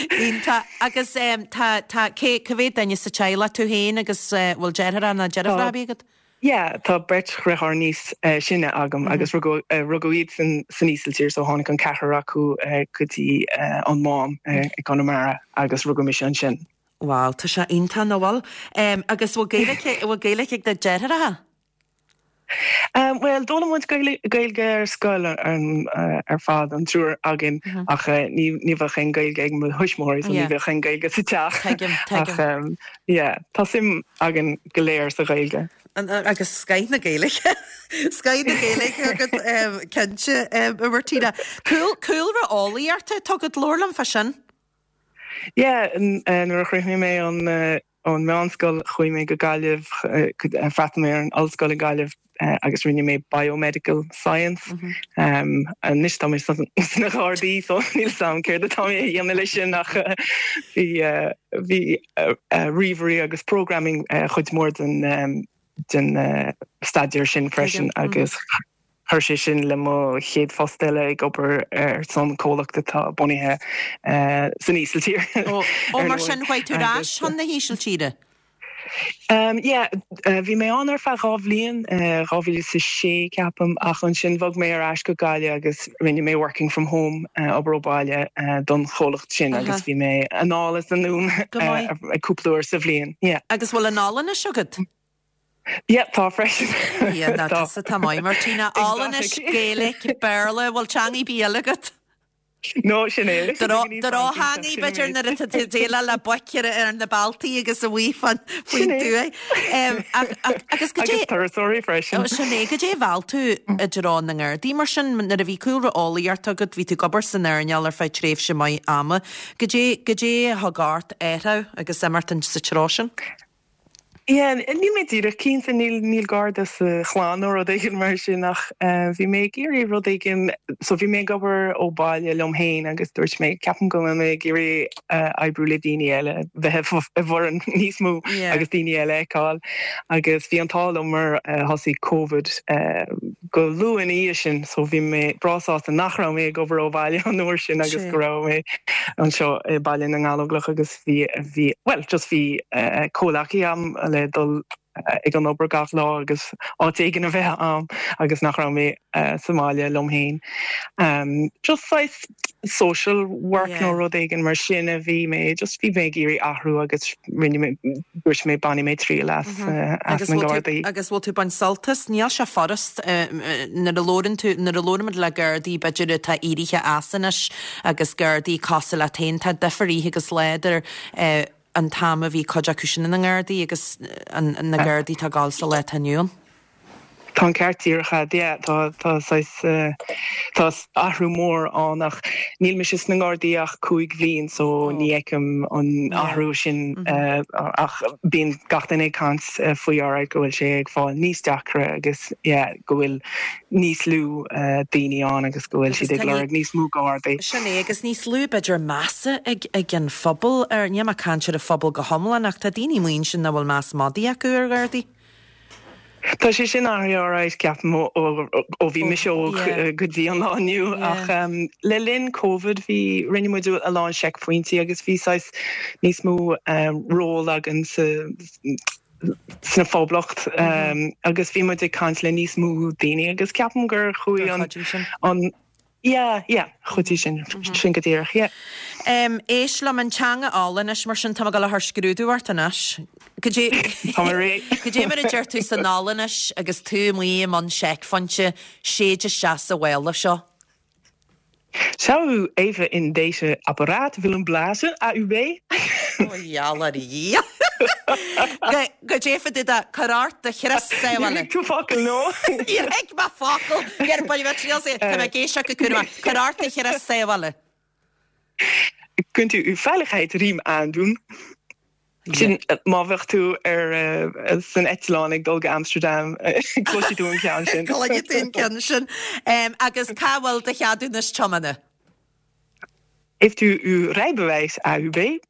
Iontach. Agus tá, tá, cé, cá mhéad duine sa teaghlach tú féin agus bhfuil deartháir nó deirfiúr ar bith agat? Yeah, tá beirt dheartháir níos sine agam agus rugadh, rugadh iad san, san Ísiltír so tháinig an ceathrar acu go dtí an Mám i gConamara agus rugadh mise ansin. Wow, tá sé iontach, nach bhfuil? Agus bhfuil Gaeilge, bhfuil Gaeilge ag do deartháireacha? Bhuel, d'fhoghlaim muid Gaeilge ar scoil ar fad, an triúr againn, ach ní bheadh aon Ghaeilge ag mo thuismitheoirí, so ní bheadh aon Ghaeilge sa teach. Tuigim, tuigim. Ach yeah, tá suim againn go léir sa Ghaeilge. Agus scoth na Gaeilge. Scoth na Gaeilge agat, cinnte, a Mhartina. Cúlra eolaíochta atá agat, labhair liom fá sin. Yeah, nuair a chríochnaigh mé an Ón meánscoil chuaigh mé go Gaillimh, d'fhreastail mé ar an ollscoil i Gaillimh agus rinne mé Biomedical Science. Anois tá mé sna Gardaí so níl 'fhios a'm céard atá mé a dhéanamh leis sin ach bhí bhí ríomhairí agus programming chuid mhór den den staidéar sin freisin agus Chuir sé sin le mo chéad phost eile ag obair ar son comhlacht atá bunaithe san Ísiltír. Ó, mar sin chuaigh tú ar ais chun na hÍsiltíre? Yeah, bhí mé ann ar feadh dhá bhliain, dhá mhíle is a sé ceapaim, ach ansin bhog mé ar ais go Gaillimh agus rinne mé working from home, obair ó bhaile don chomhlacht sin agus bhí mé anall is anonn cúpla uair sa bhliain. Yeah. Agus bhfuil an Ollainnis agat? Yeah, tá freisin. Yeah, ná tusa tá maith, Martina. Ollainnis, Gaeilge, Béarla, bhfuil teanga ar bith eile agat? No, sin é. Drochtheangaí b'fhéidir nuair atá tú ag déileáil le boic ar ar na bealtaí agus amuigh faoin tuath. Agus goidé. Agus turasóirí freisin. Sin é, goidé a mheall tú i dtreo na nGardaí mar sin nuair a bhí cúlra eolaíochta agat, bhí tú ag obair san earnáil ar feadh tréimhse maith ama. Goidé, goidé a thug ort athrú agus imeacht sa treo sin? Yeah, níl mé díreach cinnte, níl níl Garda sa chlann nó rud éigin mar sin ach bhí mé ag iarraidh rud éigin, so bhí mé ag obair ó bhaile liom féin agus dúirt mé ceapaim go bhfuil mé ag iarraidh oibriú le daoine eile, bheith i bhfoireann níos mó agus daoine eile a fheiceáil agus bhí an t-ádh liom mar thosaigh Covid go luath ina dhiaidh sin so bhí mé breá sásta nach raibh mé ag obair ó bhaile an uair sin agus go raibh mé anseo i Baile na nGallóglach agus bhí bhí bhuel just bhí comhleacaí a'm le dul ag an obair gach lá agus áit éigin a bheith a'm agus nach raibh mé sa mbaile liom féin. Just saghas social work nó rud éigin mar sin a bhí mé, just bhí mé ag iarraidh athrú agus rinne mé, dúirt mé bainfidh mé triail as as na Gardaí. Agus bhfuil tú ag baint sult as? Níl sé furast nuair a labhrann tú, nuair a labhraimid le Gardaí b'fhéidir atá éirithe as anois agus Gardaí cosúil leat féin, tá difear oíche agus lá idir an t-am a bhí cuid acu sin ina nGardaí agus na Gardaí atá ag gabháil sa lá atá inniu ann. Tá an ceart díreach agat, yeah, tá tá saghas tá athrú mór ann ach níl mise sna nGardaí ach cúig bhliain so ní fheicim an athrú sin ach bíonn gach duine ag caint faoi alright go bhfuil sé ag fáil níos deacra agus yeah go bhfuil níos lú daoine ann agus go bhfuil siad ag lorg níos mó Gardaí. Sin é, agus níos lú b'fhéidir measa ag ag an phobal ar, níl mé ag caint ar an phobal go hiomlán ach tá daoine amuigh ansin nach bhfuil meas madaidh acu ar Ghardaí. Tá sé sin athraithe alright ceapaim ó ó bhí mise óg go dtí an lá inniu ach le linn Covid bhí, rinne muid a lán seicphointí agus bhí saghas níos mó ról againn sa sna Phoblacht agus bhí muid ag caint le níos mó daoine agus ceapaim gur chuaigh an an yeah yeah chuidigh sin sin go díreach yeah. Éist liom an teanga Ollainnis mar sin tá mé ag dul a chur scrúdú ort anois. Goidé Tá mé réidh. Goidé mar a deir tú san Ollainnis agus tú amuigh i mbun seicphointe, séid isteach sa mhála seo. Zou u even in deze apparaat willen blazen, AUB? Ó gheall ar Dhia. Goidé fá dtaobh de cuir ort do chrios sábhála. Níor thuig tú focal, no? Níor thuig mé focal. Níor bain mé triail as. Tá mé ag éisteacht go cúramach. Cuir ort do chrios sábhála. Kunt u uw veiligheidsriem aandoen? Sin má bheadh tú ar san eitleán ag dul go Amsterdam, cloisfidh tú an ceann sin. Cluinfidh tú an ceann sin. Agus cá bhfuil do cheadúnas tiomána? Heeft u uw rijbewijs AUB?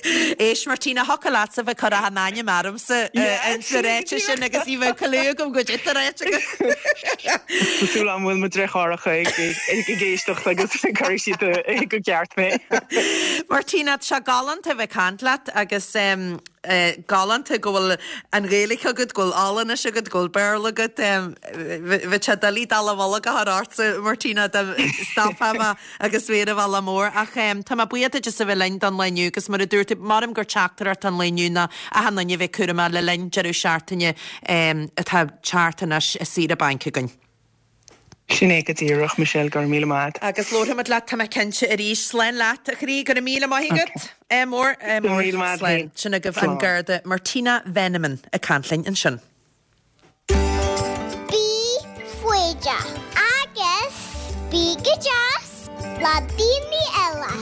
Éist Martina thiocfadh leatsa bheith ag cur achan ainm ormsa ins na ráite sin agus ní bheadh clue agam goidé atá ráite agat. Tá súil agam go bhfuil mo dheartháireacha ag éisteacht agus cuirfidh siad go ceart mé. Martina, tá sé galánta bheith ag caint leat agus galánta go bhfuil an Ghaeilge agat, go bhfuil Ollainis agat, go bhfuil Béarla agat. Bheadh sé doiligh dallamullóg a chur ortsa, Martina, dá stopfá mé agus mé ar an bhealach mór. Ach tá mé buíoch duit as a bheith linn don lá inniu agus mar a dúirt tú, maram gur teachtaireacht an lae inniu ná achan duine a bheith cúramach le linn deireadh seachtaine atá ag teacht anois i saoire bainc againn. Sin é go díreach, Michelle, go raibh míle maith agat. Agus labharfaimid leat, tá mé cinnte, arís. Slán leat, a chroí, go raibh míle maith agat. Ádh mór, ádh mór. Go raibh míle maith agat Slán. Sin agaibh an Garda Martina Veneman ag caint linn ansin. Bí foighdeach agus bí go deas le daoine eile.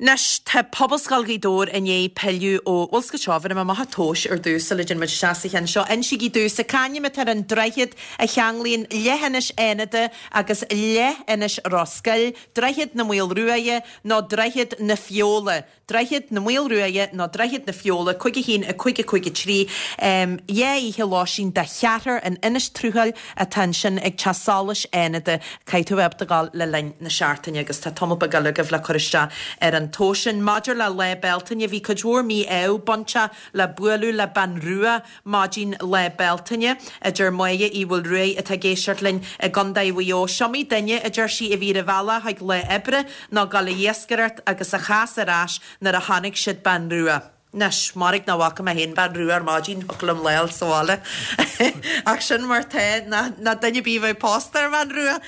Anois, tá Pobalscoil Ghaoth Dobhair i ndiaidh pilleadh ó, bhuel, seo, bhéarfaidh mé amach an tomhas ar dtús sula dtéann muid isteach sa cheann seo. Insígí domhsa, c'ainm atá ar an droichead a cheanglaíonn leithinis Fhánada agus leithinis Ros Goill, Droichead na Maolruaidhe nó Droichead na Feola? Droichead na Maolruaidhe nó Droichead na Feola, cúig a haon, a cúig, a cúig a trí. Dhá oíche lóistín do cheathrar in Inis Truachail atá ansin ag Teach Solais Fhánada. Caithfidh tú a bheith ábalta gabháil le linn na seachtaine agus tá tamall beag eile agaibh le cur isteach ar an tomhas sin. Maidir le Lá Bealtaine, bhí cuid mhór mí-ádh bainteach le bualadh le bean rua maidin Lá Bealtaine, a deir Máire Uí Mhaolruaidh atá ag éisteacht linn i gContae Mhaigh Eo. 'S'iomaí duine, a deir sí, a bhí ar a bhealach chuig lá oibre nó ag dul ag iascaireacht agus a chas ar ais nuair a chonaic siad bean rua. Anois, mairg nach bhfaca mé féin bean rua ar maidin, thiocfadh liom lá a fháil sa bhaile. Ach sin mar tá, ná duine ar bith a bheith pósta ar bhean rua.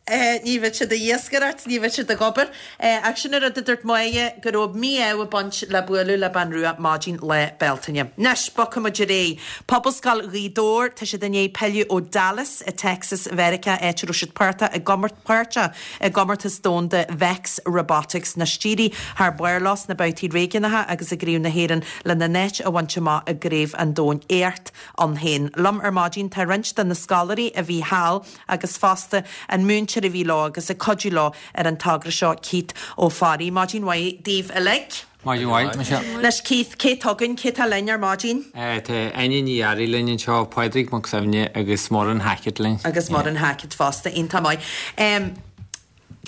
Ní bheadh siad ag iascaireacht, ní bheadh siad ag obair. Ach sin an rud a dúirt Máire, go raibh mí-ádh ag baint le bualadh le bean rua maidin Lá Bealtaine. Anois, bogfaidh muid ar aghaidh. Pobalscoil Ghaoth Dobhair, tá siad i ndiaidh pilleadh ó Dallas i Texas Mheiriceá, áit a raibh siad páirteach i páirteach i gcomórtas domhanda Vex Robotics. Anois d'éirigh thar barr leo sna babhtaí réigiúnacha agus i gCraobh na hÉireann lena n-áit a bhaint amach i gCraobh an Domhain. Éacht ann féin. Liom ar maidin tá roinnt de na scoláirí a bhí thall agus fosta an múinteoir a bhí leo agus ag cuidiú leo ar an togra seo, Keith Ó Fearraigh. Maidin mhaith daoibh uilig. Maidin mhaith, Michelle. Anois Keith, cé atá againn, cé atá linn ar maidin? Tá Áine Ní Fhearraigh linn anseo, Pádraig Mac Suibhne agus Muireann Hackett linn. Agus Muireann Hackett fosta, iontach maith.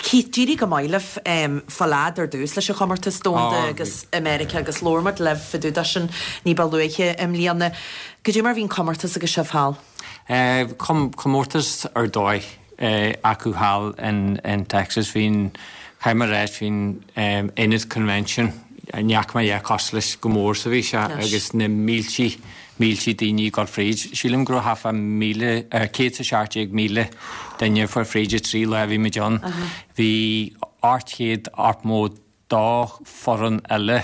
Keith, d'éirigh go maith libh fáil fhad ar dtús leis an chomórtas domhanda agus i Meiriceá agus labhair muid libh fá dtaobh de sin ní ba luaithe i mbliana. Goidé mar a bhí an comórtas agus sibh thall? Comórtas ar dóigh acu thall in Texas. Bhí an, caithfidh mé a ráit, bhí an ionad convention, ní fhaca mé a dhath cosúil leis chomh mór is a bhí sé agus na míltí, míltí daoine ag dul fríd. Sílim go raibh thart fá míle, céad is a seacht déag míle duine ag fuair fríd an trí lá a bhí muid ann. Bhí ocht chéad ocht mó dó foireann eile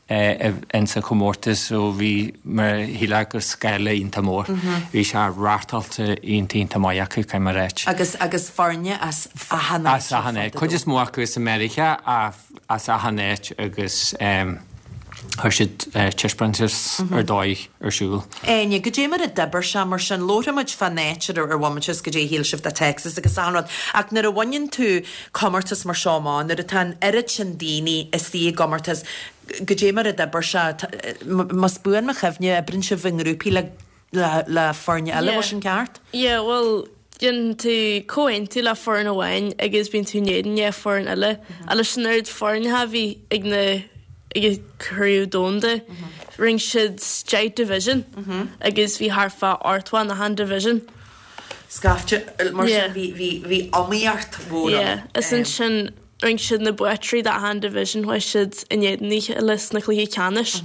in sa chomórtas so bhí mar shílfeá gur scála iontach mór. Bhí sé reáchtáilte iontach iontach maith acu, caithfidh mé a ráit. Agus agus foirne as achan áit As achan áit. Cuid is mó acu as Meiriceá ach as achan áit agus chuir siad taispeántas ar dóigh ar siúl. Áine, goidé mar a d'oibir sé mar sin? Labharfaidh muid fán áit ar ar bhfomaite is goidé a shíl sibh de Texas agus achan rud ach nuair a bhaineann tú comórtas mar seo amach, nuair atá an oiread sin daoine istigh i gcomórtas, goidé mar a d'oibir sé? Más buan mo chuimhne, oibríonn sibh i ngrúpaí le le foirne eile, bhfuil sin ceart? Yeah, bhuel, déanann tú comhaontú le foireann amháin agus bíonn tú in éadan dhá foireann eile. Ach leis an oiread foirne a bhí ag na ag an Craobh Domhanda, rinne siad deich division agus bhí thart fá ochtó in achan division. Scaifte, mar sin bhí bhí bhí iomaíocht mhór ann. Yeah, is ansin rinne siad na buaiteoirí d'achan division, chuaigh siad in éadan a chéile sna cluichí ceannais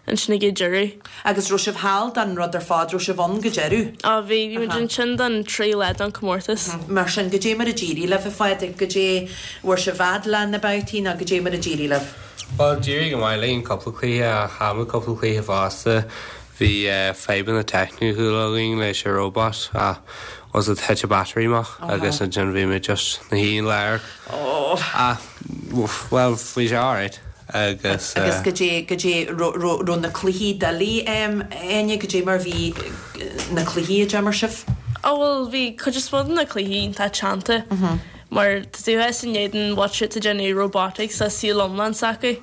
ansin ag an deireadh. Agus raibh sibh thall don rud ar fad, raibh sibh ann go deireadh? Á bhí, bhí muid ansin don trí lá don comórtas. Mar sin, goidé mar a d'éirigh libh, a Phádraig, goidé, bhfuair sibh fhad le na babhtaí nó goidé mar a d'éirigh libh? Bhuel, d'éirigh go maith linn cúpla cluiche ach chaill muid cúpla cluiche fosta. Bhí fadhbanna teicniúla againn leis an robot ach was it thit an battery amach agus ansin bhí muid just ina shuí i lár ach bhuel bhí sé alright agus. Agus goidé goidé raibh na cluichí doiligh Áine goidé mar bhí na cluichí a d'imir sibh? Ó bhuel bhí cuid is mó de na cluichí iontach teannta Mar tá tú thuas in éadan watch it ag déanamh robotics le saol iomlán s'acu.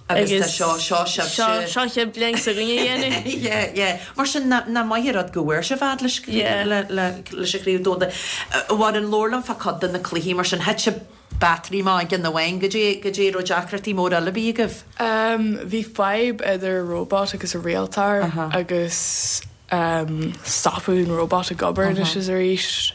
Agus tá seo, seo sibhse. Seo, seo chéad bliain s'againne a dhéanamh. Yeah, yeah. Mar sin, nach maith an rud go bhfuair sibh fhad leis, le, le, leis an chraobh domhanda. Mhuireann, labhair liom fá cuid de na cluichí, mar sin, thit an battery amach ag ceann amháin, goidé, goidé raibh deacrachtaí móra eile a bhí agaibh? Bhí fadhb idir robot agus a rialtóir agus stopadh an robot ag obair anois is arís.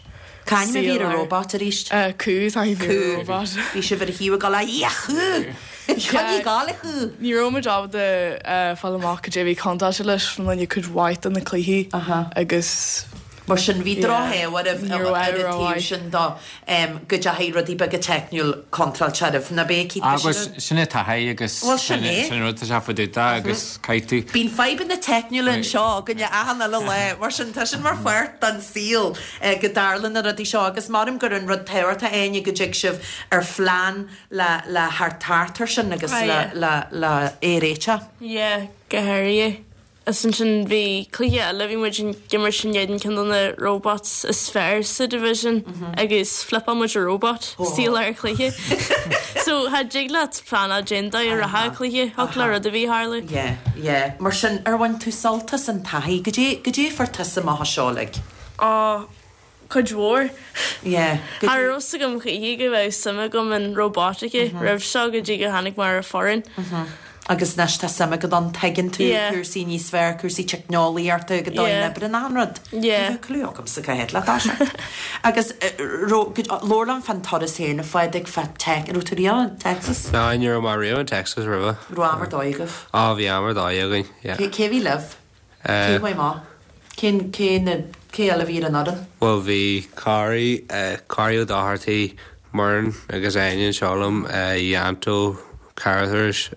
Cá ainm a bhí ar an robot arís? Cú tá a bhí ar an robot. Bhí sibh ar a thaobh ag dul, a chú! Coinnigh ag gabháil, a chú! Ní raibh muid ábalta fáil amach cad é a bhí contráilte leis fá choinne cuid mhaith de na cluichí agus Mar sin, bhí drochádh oraibh ar an taobh sin de go dteachaigh rudaí beaga teicniúil contráilte oraibh, ná b'é Keith? Agus sin é taithí agus Bhuel, sin é. sin rud tá sé fá dtaobh de agus caithfidh tú. Bíonn fadhbanna teicniúla anseo againne achan uile lá, mar sin tá sin mar pháirt den saol go dtarlann na rudaí seo agus maram gur an rud tábhachtach Áine go dtig sibh ar phlean le le theacht thart air sin agus le le le é a réiteach. Yeah, go háirithe. Is ansin bhí cluiche eile, bhí muid ag imirt in éadan ceann de na robots is fearr sa division agus flipeáil muid an robot istigh i lár cluiche. So cha dtig leat pleanáil cén dóigh a rachadh an cluiche, thiocfadh le rud ar bith tharlú. Yeah, yeah. Mar sin, ar bhain tú sult as an taithí? Goidé, goidé a fuair tusa amach as seo uilig? Ó, cuid mhór. Yeah. Cha raibh fhios agam choíche go bheadh suim agam in robotics roimh seo go dtí gur tháinig mé ar an foireann. Agus anois tá suim agat ann, tuigeann tú cúrsaí níos fearr, cúrsaí teicneolaíochta, go dóigh na oibre achan rud. Ní bheadh clue agamsa cá háit le toiseacht. Agus labhair liom fán turas féin, a Phádraig, fá Tech, raibh tú riamh in Texas? No, ní raibh mé riamh in Texas roimhe. Raibh am ar dóigh agaibh? Á, bhí am ar dóigh againn, yeah. Cé bhí libh? Cé chuaigh amach? Cén, cé na, cé eile a bhí ar an fhoireann? Bhuel, bhí Corey, Corey Ó Dochartaigh, Muireann agus Áine anseo liom, Yanto, Carruthers,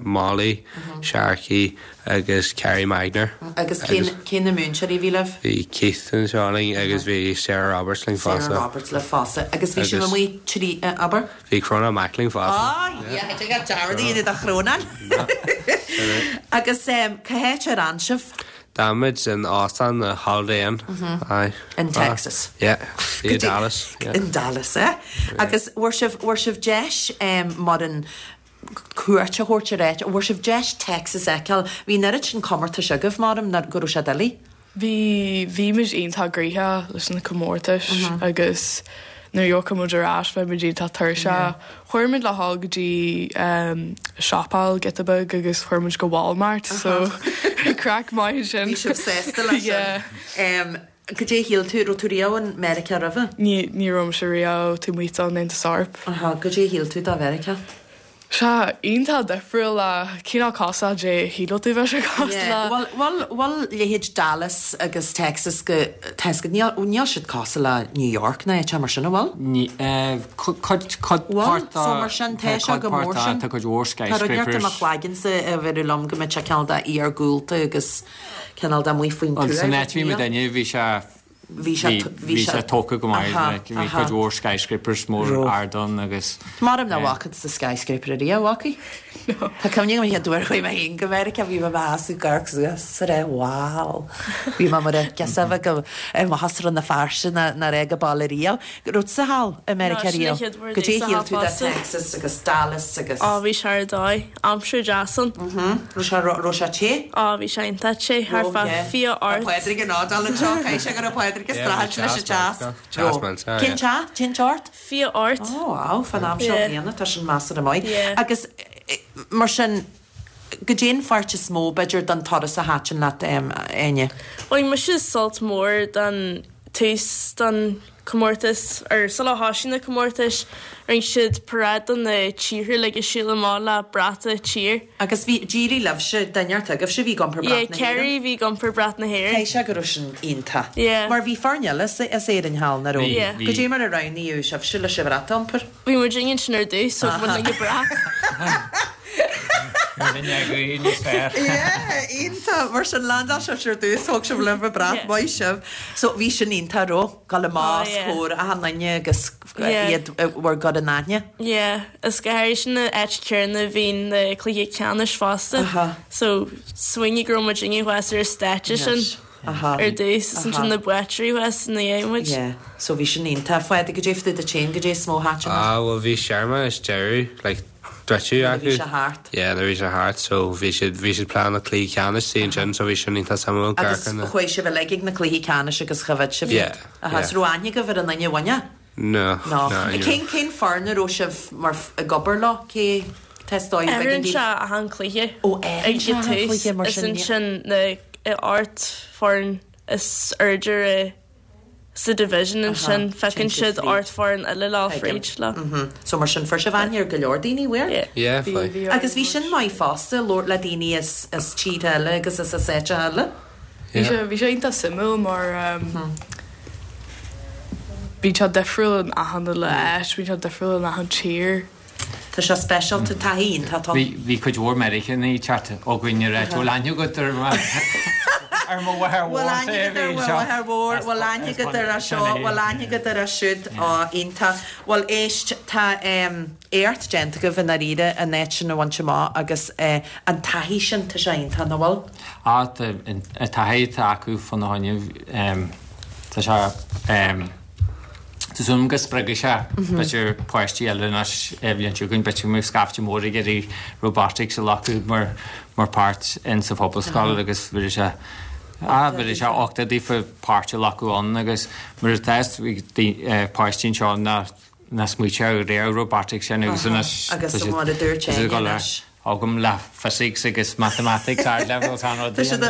Molly, Sharkey agus Kerry Magner. Agus cé cé na múinteoirí a bhí libh? Bhí Keith anseo linn agus bhí Sarah Roberts linn Sarah fosta. Roberts libh fosta. Agus bhí sibh amuigh trí, abair? Bhí Crónán Mac linn fosta. Ah, yeah, tig leat dearmad a dhéanamh de Chrónán. Agus cá háit ar fhan sibh? D'fhan muid in óstán na Holiday Inn. Aye. In Texas. Yeah, i Dallas. Yeah. In Dallas, eh? Agus bhfuair sibh, bhfuair sibh deis mar an cuairt a thabhairt ar áit, bhfuair sibh deis Texas a fheiceáil? Bhí an oiread sin comórtais agaibh, maram, ná go raibh sé doiligh? Bhí, bhí muid iontach gnoitheach leis na comórtais agus nuair a thiocfadh muid ar ais bheadh muid iontach tuirseach. Chuir muid le dhul go dtí siopa giota beag agus chuir muid go Walmart so bhí craic maith ansin. Bhí sibh sásta leis sin. Goidé a shíl tú, raibh tú riamh in Meiriceá roimhe? Ní, ní raibh mise riamh taobh amuigh den Aontas Eorpach. Aha, goidé a shíl tú de Mheiriceá? Sea, iontach difriúil le cineál cosúil le goidé a shílfeadh tú bheadh sé cosúil le. Bhuel, bhuel, bhuel leithéid Dallas agus Texas go, Texas, níl, níl siad cosúil le New York ná áit mar sin, an bhfuil? Ní, eh, cuid, cuid Bhfuil? páirt So mar sin, tá tá sé cuid go mór páirt de, sin. tá cuid mhór Tá rud inteacht i mo skyscrapers. chloigeannsa a bheireadh liom go mbeadh sé cineál de iargúlta agus cineál de amuigh faoin Bhuel, tuath, san áit a bhí níl? muid inniu, bhí sé Bhí sé, bhí sé tógtha go maith, like, bhí cuid mhór skyscrapers mór ard ann agus. Maram nach bhfaca tusa skyscraper ariamh, an bhfacaidh? Tá cuimhne agam an chéad uair a chuaigh mé féin go Meiriceá, bhí mé i mo sheasamh ag amharc suas is ag rá wow. Bhí mé mar a gheasa a bheith go i mo sheasamh Rann na Feirste ná ná raibh go baile riamh. Raibh tusa thall i Meiriceá No, sin an riamh? chéad uair Goidé domhsa shíl thall tú de fosta. Texas agus Dallas agus. Á, bhí sé ar dóigh. Aimsir deas ann. Raibh sé raibh sé te? Á, bhí sé iontach te, thart fá fiche Tá ocht. Pádraig in ardal anseo, caithfidh sé go raibh Pádraig ag streachailt leis an teas. Teas millteach, Cén teas? Cén teocht? Fiche ocht. Ó, wow, fan am seo bliana, tá sin measartha maith. Agus mar sin, goidé an pháirt is mó, b'fhéidir, den turas a thaitin leat, Áine? Bhain mise sult mór den tús den comórtas, or sula thosaigh na comórtais, rinne siad paráid do na tíortha uilig ag siúl amach le brat a tír. Agus bhí, d'éirigh libhse, duine inteacht agaibhse a bhí ag iompar Yeah, brat na hÉireann? Kerry a bhí ag iompar brat na hÉireann. Caithfidh sé go raibh sin iontach. Yeah. Mar bhí foirne eile as as Éirinn thall, nach raibh? Bhí, Yeah. bhí. Goidé mar a roghnaíodh sibhse leis an bhrat a iompar? Bhí muid ansin ar dtús, so bhain linn an brat. Níos fearr. Yeah, iontach. Mar sin landáil sibh ar dtús, thóg sibh libh an brat, maith sibh. So bhí sin iontach, raibh? Dul amach os comhair achan duine agus iad bhur gcur in aithne. Yeah, is go háirithe sin an áit chéanna a bhí na cluichí ceannais fosta. So smaoinigh go raibh muid inniu thuas ar an stáitse sin. Ar dtús is ansin na buaiteoirí thuas ina dhiaidh muid. Yeah, so bhí sin iontach. A Phádraig, goidé fá dtaobh duit féin, goidé is mó a thaitin leat? Ah, bhuel bhí searmanas deireadh, like, druideadh Nuair a bhí acu. sé thart. Yeah, nuair a bhí sé thart, so bhí siad, bhí siad plean na cluichí ceannais sí ansin, so bhí sin iontach suimiúil, Agus amharc ar na. chuaigh sibh uilig ag na cluichí ceannais agus choimhéad sibh Yeah, iad. Aha, yeah. so raibh aithne agaibh ar an duine a bhain? No, No. no, ní Cén, raibh. cén foireann a raibh sibh mar, ag obair leo? Cé, tá dóigh Athraíonn sé achan cluiche Ó, ag athraíonn sé an achan tús cluiche mar is sin, ansin na ocht foireann is airde i sa division ansin feiceann siad ocht foireann eile le fríd le. So mar sin fuair sibh aithne ar go leor daoine, bhfuair? Yeah. Yeah, fuair. Agus bhí sin maith fosta, labhairt le daoine as as tíortha eile agus as as áiteacha eile. Bhí sé bhí sé iontach suimiúil mar bíonn sé difriúil in achan uile áit, bíonn sé difriúil in achan tír. Tá sé speisialta, taithí iontach ann. Bhí bhí cuid mhór Meiriceánaigh ag teacht chugainn ag ráit, bhfuil aithne agat ar mo ar mo mháthair Bhfuil mhór aithne agat ar mo mháthair mhór, bhfuil aithne agat ar seo, bhfuil aithne agat ar siúd, ó iontach. Bhuel éist, tá éacht déanta agaibh i ndáiríre an áit sin a bhaint amach agus an taithí sin, tá sé iontach, nach bhfuil? Á, tá an taithí atá acu fána choinne, tá sé, tá súil agam go spreagfaidh sé b'fhéidir páistí eile anois an bhliain seo chugainn, b'fhéidir go mbeidh scaifte mór ag iarraidh robotics a ghlacadh mar mar páirt in sa phobalscoil agus bheadh sé, á, bheadh sé uchtach daofa páirt a ghlacadh ann agus mar atá páistí anseo nach nach smaoiteodh riamh robotics sin agus anois Agus mar a dúirt tá siad ag Áine dul ar anois. agam le physics agus mathematics ard level tá an rud Tá siad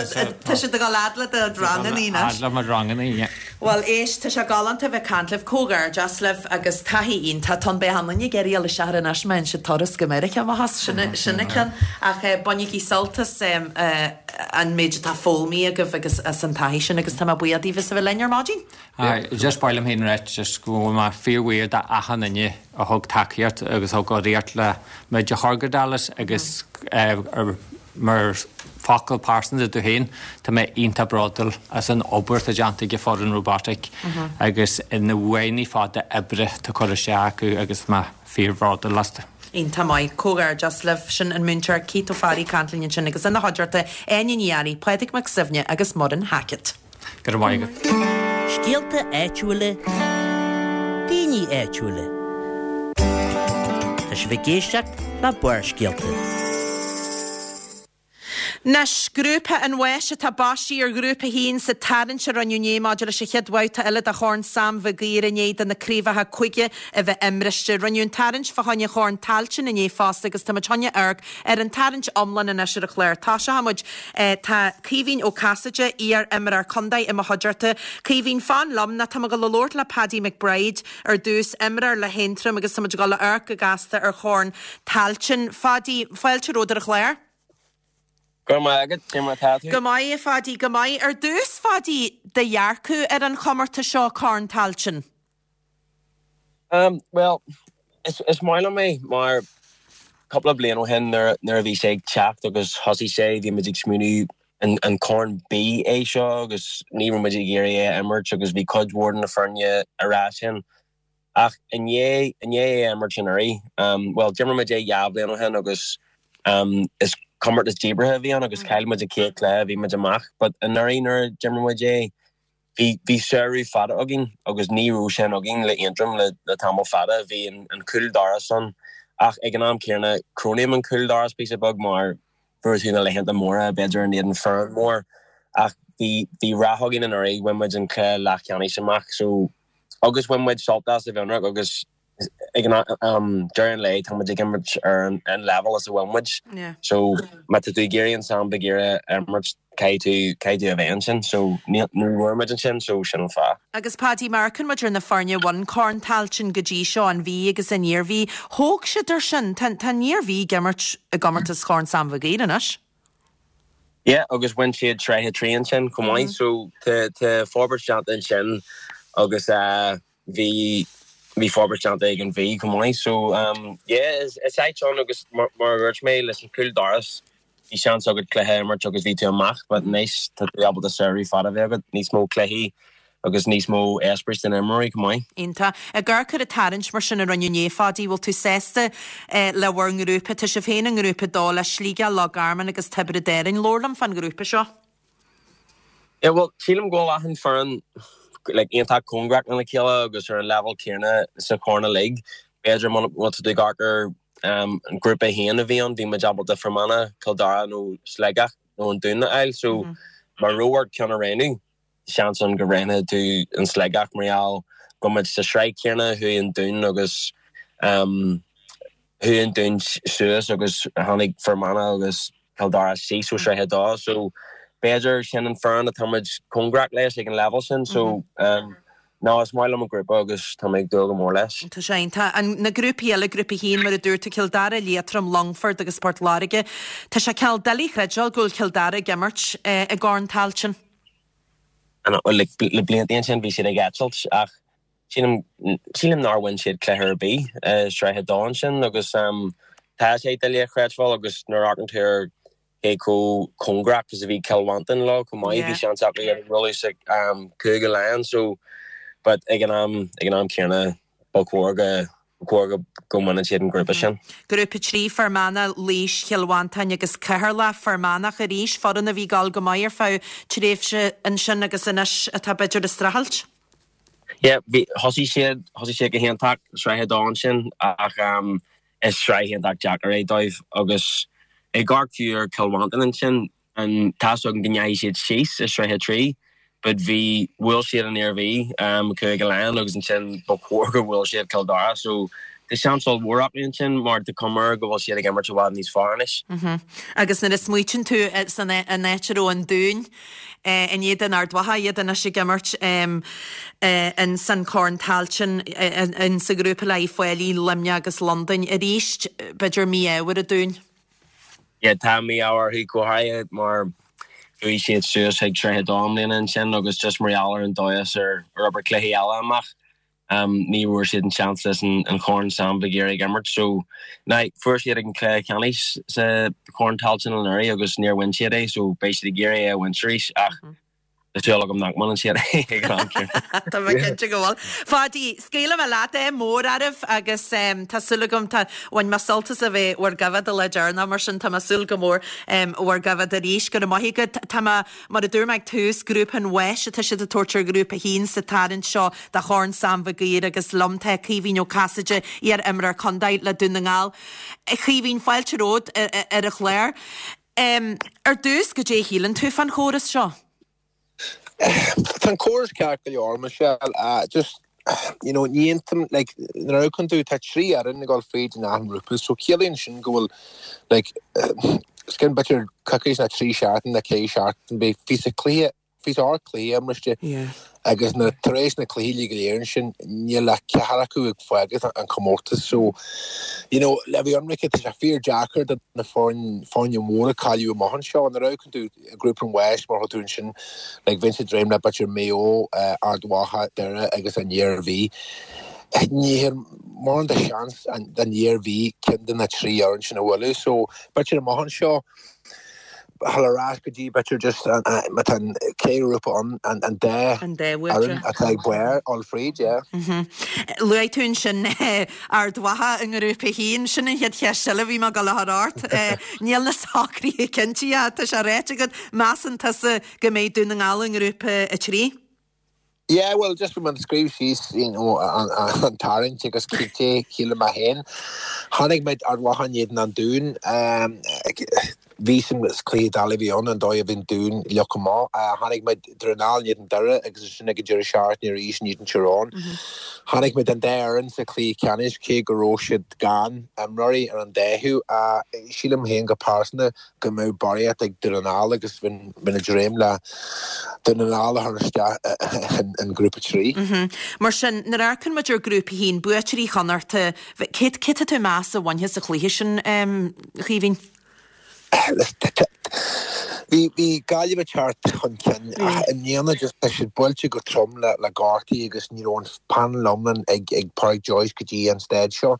tá siad ag dul fhad le do rangannaí anois. Fhad le mo rangannaí, yeah. Bhuel éist, tá sé galánta a bheith ag caint libh, comhghairdeas libh agus taithí iontach. Tá an beidh an duine ag iarraidh dul isteach ar anois má fhaigheann siad turas go Meiriceá amach as, sin sin an ceann. Ach bainigí sult as an méid atá foghlamtha agaibh agus as an taithí sin agus tá mé buíoch daoibh as a bheith linn ar maidin. Aye, just ba mhaith liom féin a ráit just go bhfuil mé fíorbhuíoch d'achan duine a thug tacaíocht agus thug urraíocht le muid a chur go Dallas agus mar focal pearsanta domh féin, tá mé iontach bródúil as an obair atá déanta ag an foireann robotic agus na uaigheanna fada oibre atá curtha isteach acu agus mé fíorbhródúil astu. Iontach maith. Comhghairdeas libh. Sin an múinteoir Keith Ó Fearraigh ag caint linn ansin agus ina chuideachta Áine Ní Fhearraigh, Pádraig Mac Suibhne agus Muireann Hackett. Go raibh maith agat. Scéalta áitiúla, daoine áitiúla. Tá sibh ag éisteacht le Barrscéalta. Anois, Grúpa an Bháis atá baisithe ar Ghrúpa a haon sa tarraingt a rinneadh inné maidir leis an chéad bhabhta eile de Chorn Sam Mhig Uidhir i ndiaidh do na craobhacha cúige a bheith imriste. Rinneadh an tarraingt fá choinne Chorn Tailteann inné fosta agus táimid chun amharc ar an tarraingt iomlán anois ar an chlár. Tosóidh muid. Tá Caoimhín Ó Casaide, iar-imreoir contae i mo chuideachta. Caoimhín, fan liom nó tá mé ag dul a labhairt le Paddy McBride ar dtús, imreoir le hAontroim agus táimid ag dul a amharc go gasta ar Chorn Tailteann. Phadaí, fáilte romhat ar an chlár. Go raibh maith agat, cé mar atá tú? Go maith, a Phadaí, go maith. Ar dtús, Phadaí, do dhearcadh ar an chomórtas seo, Corn Tailteann? Um, bhuel, is, is maith liom é mar cúpla bliain ó shin nuair, nuair a bhí sé ag teacht agus thosaigh sé, bhí muid ag smaoineamh an, an Corn B é seo agus ní raibh muid ag iarraidh é a imirt agus bhí cuid mhór de na foirne ag rá sin. Ach i ndiaidh, i ndiaidh é a imirt anuraidh, um, bhuel, d'imir muid é dhá bhliain ó shin agus um, is comórtas díbeartha a bhí ann agus chaill muid an chéad chluiche, bhí muid amach, but anuraidh nuair a d'imir muid é, bhí, bhí samhradh fada againn agus ní raibh sin againn le Aontroim le, le tamall fada, bhí an, an cúl doras ann ach ag an am céanna cronaím an cúl doras píosa beag mar fuair tú na laethanta móra b'fhéidir in éadan foireann mór ach bhí, bhí rath againn anuraidh, bhain muid an cluiche leathcheannais amach so agus bhain muid sult as i bhFionnrach agus ag an um, deireadh an lae tá muid ag imirt ar an, an level is a bhfuil muid. Yeah. So má tá tú ag iarraidh an Sam Mhig Uidhir a imirt caithfidh tú caithfidh tú a bheith ansin so ní ní bhfuair muid ansin so sin an fáth. Agus Paddy má amharcann muid ar na foirne a bhain Corn Tailteann go dtí seo, an Mhí agus an Iarmhí, thóg siad ar sin. Tá tá an Iarmhí ag imirt i gcomórtas Chorn Sam Mhig Uidhir anois. Yeah, agus bhain siad sraith a trí ansin chomh maith so tá tá forbairt déanta ansin agus uh, bhí bhí forbairt déanta ag an Mhí chomh maith so um, yeah, is, is áit ann agus mar, mar a dúirt mé leis an cúl doras bhí seans agat cluiche a imirt agus bhí tú amach, but anois tá tú ábalta samhradh fada a bheith agat, níos mó cluichí agus níos mó eispéireas don imreoirí chomh maith. Iontach. Ag amharc ar an tarraingt mar sin a rinneadh inné, Phadaí, bhfuil tú sásta eh, le bhur ngrúpa? Tá sibh féin i ngrúpa a dó le Sligeach, Loch Garman agus Tiobraid Árann. Labhair liom fán ghrúpa seo. Yeah, well, sílim go bhfuil achan foireann like, iontach cóngarach lena chéile agus ar an level céanna sa chorn uilig. B'fhéidir má tá tú ag amharc ar um, an grúpa a haon a bhí ann, bhí muid ábalta Fear Manach, Cill Dara nó Sligeach nó an Dún a fháil, so mm -hmm. má raibh ort ceann a roghnú, seans ann go roghnódh tú an Sligeach mar gheall go muid sa sraith céanna chuaigh an Dún agus um, chuaigh an Dún suas agus tháinig Fear Manach agus Cill Dara síos ó sraith a dó so b'fhéidir sin an foireann atá muid cóngarach leis ag an level sin so um, no is maith liom an grúpa agus tá mé ag dúil go mór leis. Tá sé tá an na grúpaí eile grúpa a haon mar a dúirt tú Cill Dara, Liatroim, Longfort agus Port Láirge. Tá sé cineál doiligh a chreidbheáil go bhfuil Cill Dara ag imirt eh, i gCorn Tailteann. An le le blianta ansin bhí siad ag eitilt ach sílim sílim nár bhain siad cluiche ar bith uh, sraith a dó ansin agus um, tá sé doiligh a chreidbheáil agus nuair a amharcann tú ar cé chomh cóngarach is a bhí Cill Mhantáin leo chomh maith bhí seans acu ar rolla sa um, Cúige Laighean so but ag an am ag an am céanna ba chóir go chóir go go mbaineann siad an grúpa sin. Grúpa trí Fear Manach, Laois, Chill Mhantáin agus Ceatharlach Fear Manach arís foireann a bhí ag gabháil go maith ar feadh tréimhse ansin agus anois atá b'fhéidir ag streachailt. Yeah, bhí thosaigh siad thosaigh siad go hiontach sraith a dó ansin ach um, is sraith iontach deacair é dóibh agus ag amharc fiú ar Cill Mhantáin ansin an tá go ndeachaigh siad síos i sraith a trí, but bhí bhuail siad an Iarmhí um, Cúige Laighean agus ansin ba chóir go bhfuil siad Cill Dara so Tá seans ollmhór acu ansin mar tá cuma go bhfuil siad ag imirt i bhfad níos fearr anois. Mm-hmm. Agus nuair a smaoitíonn tú eh, san eh, an áit a raibh an Dún eh, in éadan Ard Mhacha iad anois ag imirt um, eh, in san Corn Tailteann eh, in sa ghrúpa le Failí, Luimneach agus Londain arís b'fhéidir mí-ádh ar an Dún. Yeah, tá mí-ádh orthu go háirithe mar chuaigh siad suas ag sraith a dó i mbliana ansin agus just mar gheall ar an dóigh ar ar obair cluichí eile amach. Um, ní bhfuair siad an seans leis an, an Chorn Sam Mhig Uidhir ag imirt so na fuair siad ag an cluiche ceannais sa Chorn Tailteann anuraidh agus níor bhain siad é so beidh siad ag iarraidh é a bhaint arís ach Tá súil agam nach mbaineann siad é ag an am céanna. Tá mé cinnte go bhfuil. Pháidí, scaoilfidh mé leat é mór oraibh agus um, tá súil agam tá bhain mé sult as a bheith bhur gcoimhéad le deireanach mar sin tá mé súil go mór um, bhur gcoimhéad arís go raibh maith agat tá mé mar a dúirt mé ag tús grúpa an bháis atá siad ag tabhairt ar ghrúpa a haon sa tarraingt seo de Chorn Sam Mhig Uidhir agus liom tá Caoimhín Ó Casaide iar-imreoir contae le Dún na nGall. Caoimhín fáilte romhat ar, ar an chlár. Um, ar dtús goidé a shíleann tú fán chóras seo. Tá an córas ceart go leor Michelle uh, just you know ní aontaím like nuair a amharcann tú tá trí fhoireann ag dul fríd in achan ghrúpa so ciallaíonn sin go bhfuil like uh, skin b'fhéidir coicís ná trí seachtain na ceithre seachtain beidh fiche cluiche fiche ocht cluiche imrithe agus na tar éis na cluichí go léir sin níl ach ceathrar acu ag fágáil an comórtas so you know le bheith ionraic tá sé fíor deacair do na foirne foirne móra cailleadh amach anseo nuair a amharcann tú grúpa an bháis mar tú ansin like bhí siad dréim le b'fhéidir Maigh Eo uh, Ard Mhacha Doire agus an Iarmhí ní mórán de seans den Iarmhí ceann de na trí fhoireann sin a bhualadh so b'fhéidir amach anseo halrás go dtí b'fhéidir just má tá cé grúpa an an an dá An dá fhoireann atá ag bair all fríd yeah. Luaigh tú ansin Ard Mhacha i ngrúpa a haon sin an chéad cheist eile bhí mé ag dul a chur ort. Níl na socruithe cinnte tá sé ráite agat measann tusa go mbeidh Dún na nGall i ngrúpa a trí. Yeah, well, just bhí mé ag scríobh síos you know, an, an, an tarraingt agus cité chéile má héin. Tháinig muid Ard Mhacha in éadan an Dún. Um, bhí san cluiche doiligh a bhí ann an dóigh a bhí an Dún le go maith. Uh, tháinig muid Dún na nGall in éadan Doire agus sin ag deireadh seachtaine arís in éadan Tyrone. Tháinig muid an dá fhoireann sa chluiche ceannais cé go raibh siad gan imreoirí ar an dá thaobh. Uh, sílim féin go pearsanta go mbeadh barraíocht ag Dún na nGall agus bhí bhí na dréim le Dún na nGall a chur isteach in, in grúpa trí. Mar sin nuair a amharcann muid ar grúpa a haon buaiteoirí Chonnachta, cé cé tú meas a bhainfidh sa chluiche sin um, Chaoimhín? Bhí bhí Gaillimh ag teacht chun cinn ach i mbliana just tá siad buailte go trom le le gortaí agus ní raibh an panel iomlán ag ag Pádraic Joyce go dtí an staid seo.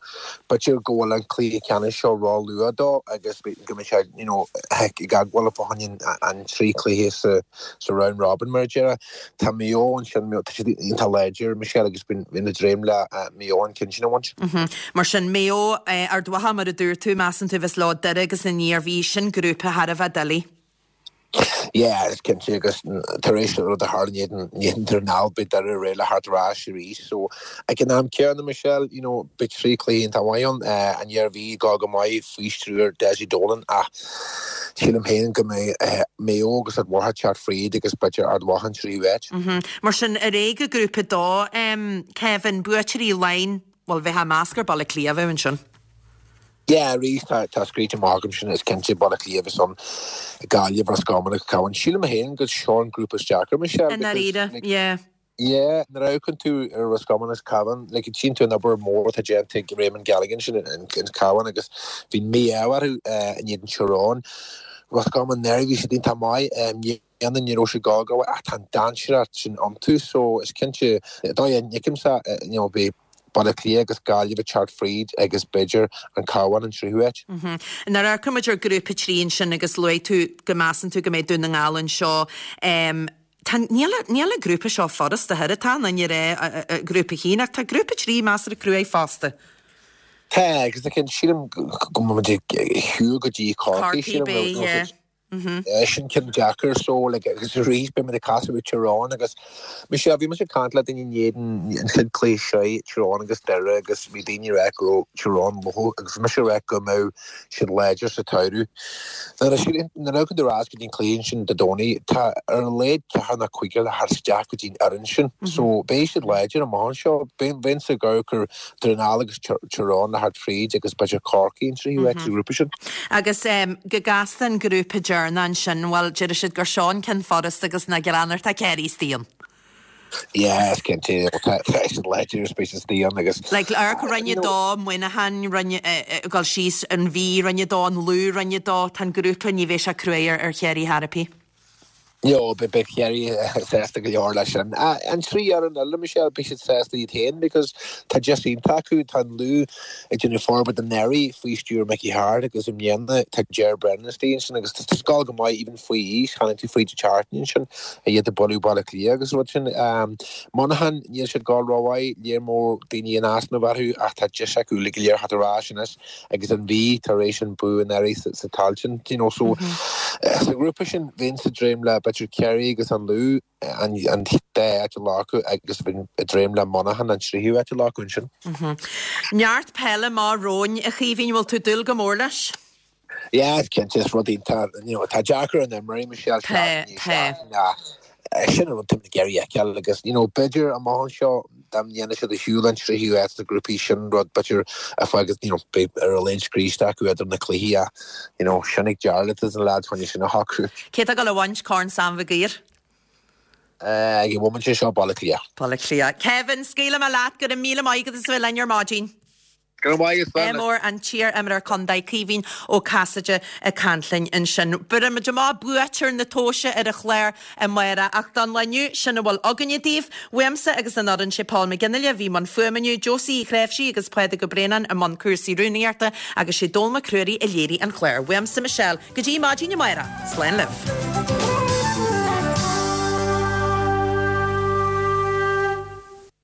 B'fhéidir go bhfuil an cluiche ceannais seo ró-luath dó agus go mbeidh sé you know, ag gabháil fá choinne an trí chluiche sa sa round robin mar a déarfá. Tá Maigh Eo ansin tá siad iontach láidir Michelle agus bíonn na dréim le Maigh Eo an ceann sin a bhaint. Mar sin Maigh Eo Ard Mhacha mar a dúirt tú measann tú bheas leo Doire agus an Iarmhí sin grúpa thar a bheith doiligh. Yeah, is cinnte agus tar éis an rud a tharla in éadan Dhún na nGall beidh Doire réidh le theacht ar ais arís. So ag an am céanna Michelle, you know, beidh trí chluiche iontach maith ann, an Iarmhí ag dul go maith faoi stiúir Dessie Dolan ach sílim féin go mbeidh Maigh Eo agus Ard Mhacha ag teacht fríd agus b'fhéidir Ard Mhacha an tríú háit. Mar sin ar aghaidh go Grúpa a dó, Kevin, buaiteoirí Laighin, bhuel bheifeá ag meas gur Baile Átha Cliath a bheadh ansin. Yeah, arís tá tá scríte amach agam sin is cinnte Baile Átha Cliath a bheas ann, Gaillimh, Ros Comáin agus Cabhán. Sílim féin gur seo an grúpa is deacra, Michelle, I ndáiríre, because like yeah. yeah, nuair a amharcann tú ar Ros Comáin agus Cabhán, like tchíonn tú an obair mhór atá déanta ag Raymond Galligan sin in in Cabhán agus bhí mí-ádh orthu in éadan Tyrone. Ros Comáin anuraidh bhí siad iontach maith, i mbliana ní raibh siad ag gabháil ach tá an dainséaracht sin iontu so is cinnte dóigh a bhfeicimse you know beidh Baile Átha Cliath agus Gaillimh ag teacht fríd agus b'fhéidir an Cabhán an tríú háit. Nuair a amharcann muid ar Grúpa trí ansin agus luaigh tú go measann tú go mbeidh Dún na nGall anseo, tá, níl, níl an grúpa seo furasta, a thuilleadh, tá an duine rá Grúpa a haon ach tá Grúpa trí measartha cruaidh fosta. Tá, agus sílim go mbeidh muid ag siúl go dtí Corcaigh, Corcaigh, sílim, beidh, yeah. Sin ceann deacair so like agus arís beidh muid ag casadh ar Tyrone agus Michelle bhí mise ag caint le daoine in éadan an chéad cluiche seo Tyrone agus Doire agus bhí daoine ag rá go raibh Tyrone lofa agus bhí mise ag rá go mbeadh siad láidir sa tsamhradh. Nuair a nuair a amharcann tú ar ais go dtí an cluiche sin Dé Domhnaigh tá ar a laghad ceathrar nó cúigear le theacht isteach go dtí an fhoireann sin so beidh siad láidir amach anseo. Bheinnse ag amharc ar Dún na nGall agus Tyrone le theacht fríd agus b'fhéidir Corcaigh an tríú háit sa ghrúpa sin. Agus go gasta an grúpa deireanach ansin, bhuel, deir siad gur seo an ceann furasta agus nach gearán tá Ciarraí istigh ann. Yeah, is cinnte, tá siad láidir is beidh siad istigh ann agus. Like, amharc Roinn a dó, Muineachán, Roinn, ag dul síos, an Mhí, Roinn a dó, an Lú, Roinn a dó, tá an grúpa, ní bheidh sé cruaidh ar Chiarraí chor ar bith. No, beidh Ciarraí sásta go leor leis sin. An trí fhoireann eile, Michelle, beidh siad sásta iad féin because tá deis iontach acu, tá an Lú ag déanamh forbairt anuraidh faoi stiúir Mickey Harte agus i mbliana tá Ger Brennan istigh ansin agus tá siad ag gabháil go maith even faoi aois, chonaic tú fríd an tseachtain ansin iad ag bualadh Baile Átha Cliath agus rud sin. Monaghan, níl siad ag gabháil rómhaith, léir mór daoine in easnamh orthu ach tá deis acu uilig go léir theacht ar ais anois agus an Mhí tar éis an bua anuraidh sa Tailteann, you know, so sa ghrúpa sin bheinnse ag dréim le b'fhéidir Ciarraí agus an Lú an dá áit a ghlacadh agus bheinn ag dréim le Monaghan an tríú háit a ghlacadh ansin. Neart peile amach romhainn, a Chaoimhín, bhfuil tú ag dúil go mór leis? Yeah, cinnte, is rud iontach, you know, tá deacair an imreoirí, Michelle, Tá, seachtain tá. seachtain ach sin an rud táimid ag iarraidh a fheiceáil agus, you know, b'fhéidir amach anseo dá ndéanfaidh siad a shiúl an tríú háit sna grúpaí sin rud b'fhéidir a fágfaidh, you know, beidh ar a laghad scriosta acu idir na cluichí ach, you know, sin ag Jarlath is na lads chun sin a shocrú. Cé tá ag dul a bhaint Corn Sam Mhig Uidhir? Uh, ag an bhomaite seo Baile Átha Cliath. Baile Átha Cliath. Kevin, scaoilfidh mé leat go raibh míle maith agat as a bheith linn ar maidin. Go raibh maith agat, Mór an t-iar-imreoir contae Caoimhín Ó Casaide ag caint linn ansin. Bhéarfaimid amach buaiteoir na tomhaise ar an chlár amárach ach don lá inniu sin a bhfuil againne daoibh. Uaimse agus an fhoireann sé Paul McGinley a bhí i mbun fuaime inniu, Josie Uí Chréimhsí agus Pádraig Ó Braonáin i mbun cúrsaí rúnaíochta agus sé Dónal Mac Ruairí a léirigh an clár. Uaimse Michelle go dtí maidin amárach. Slán libh.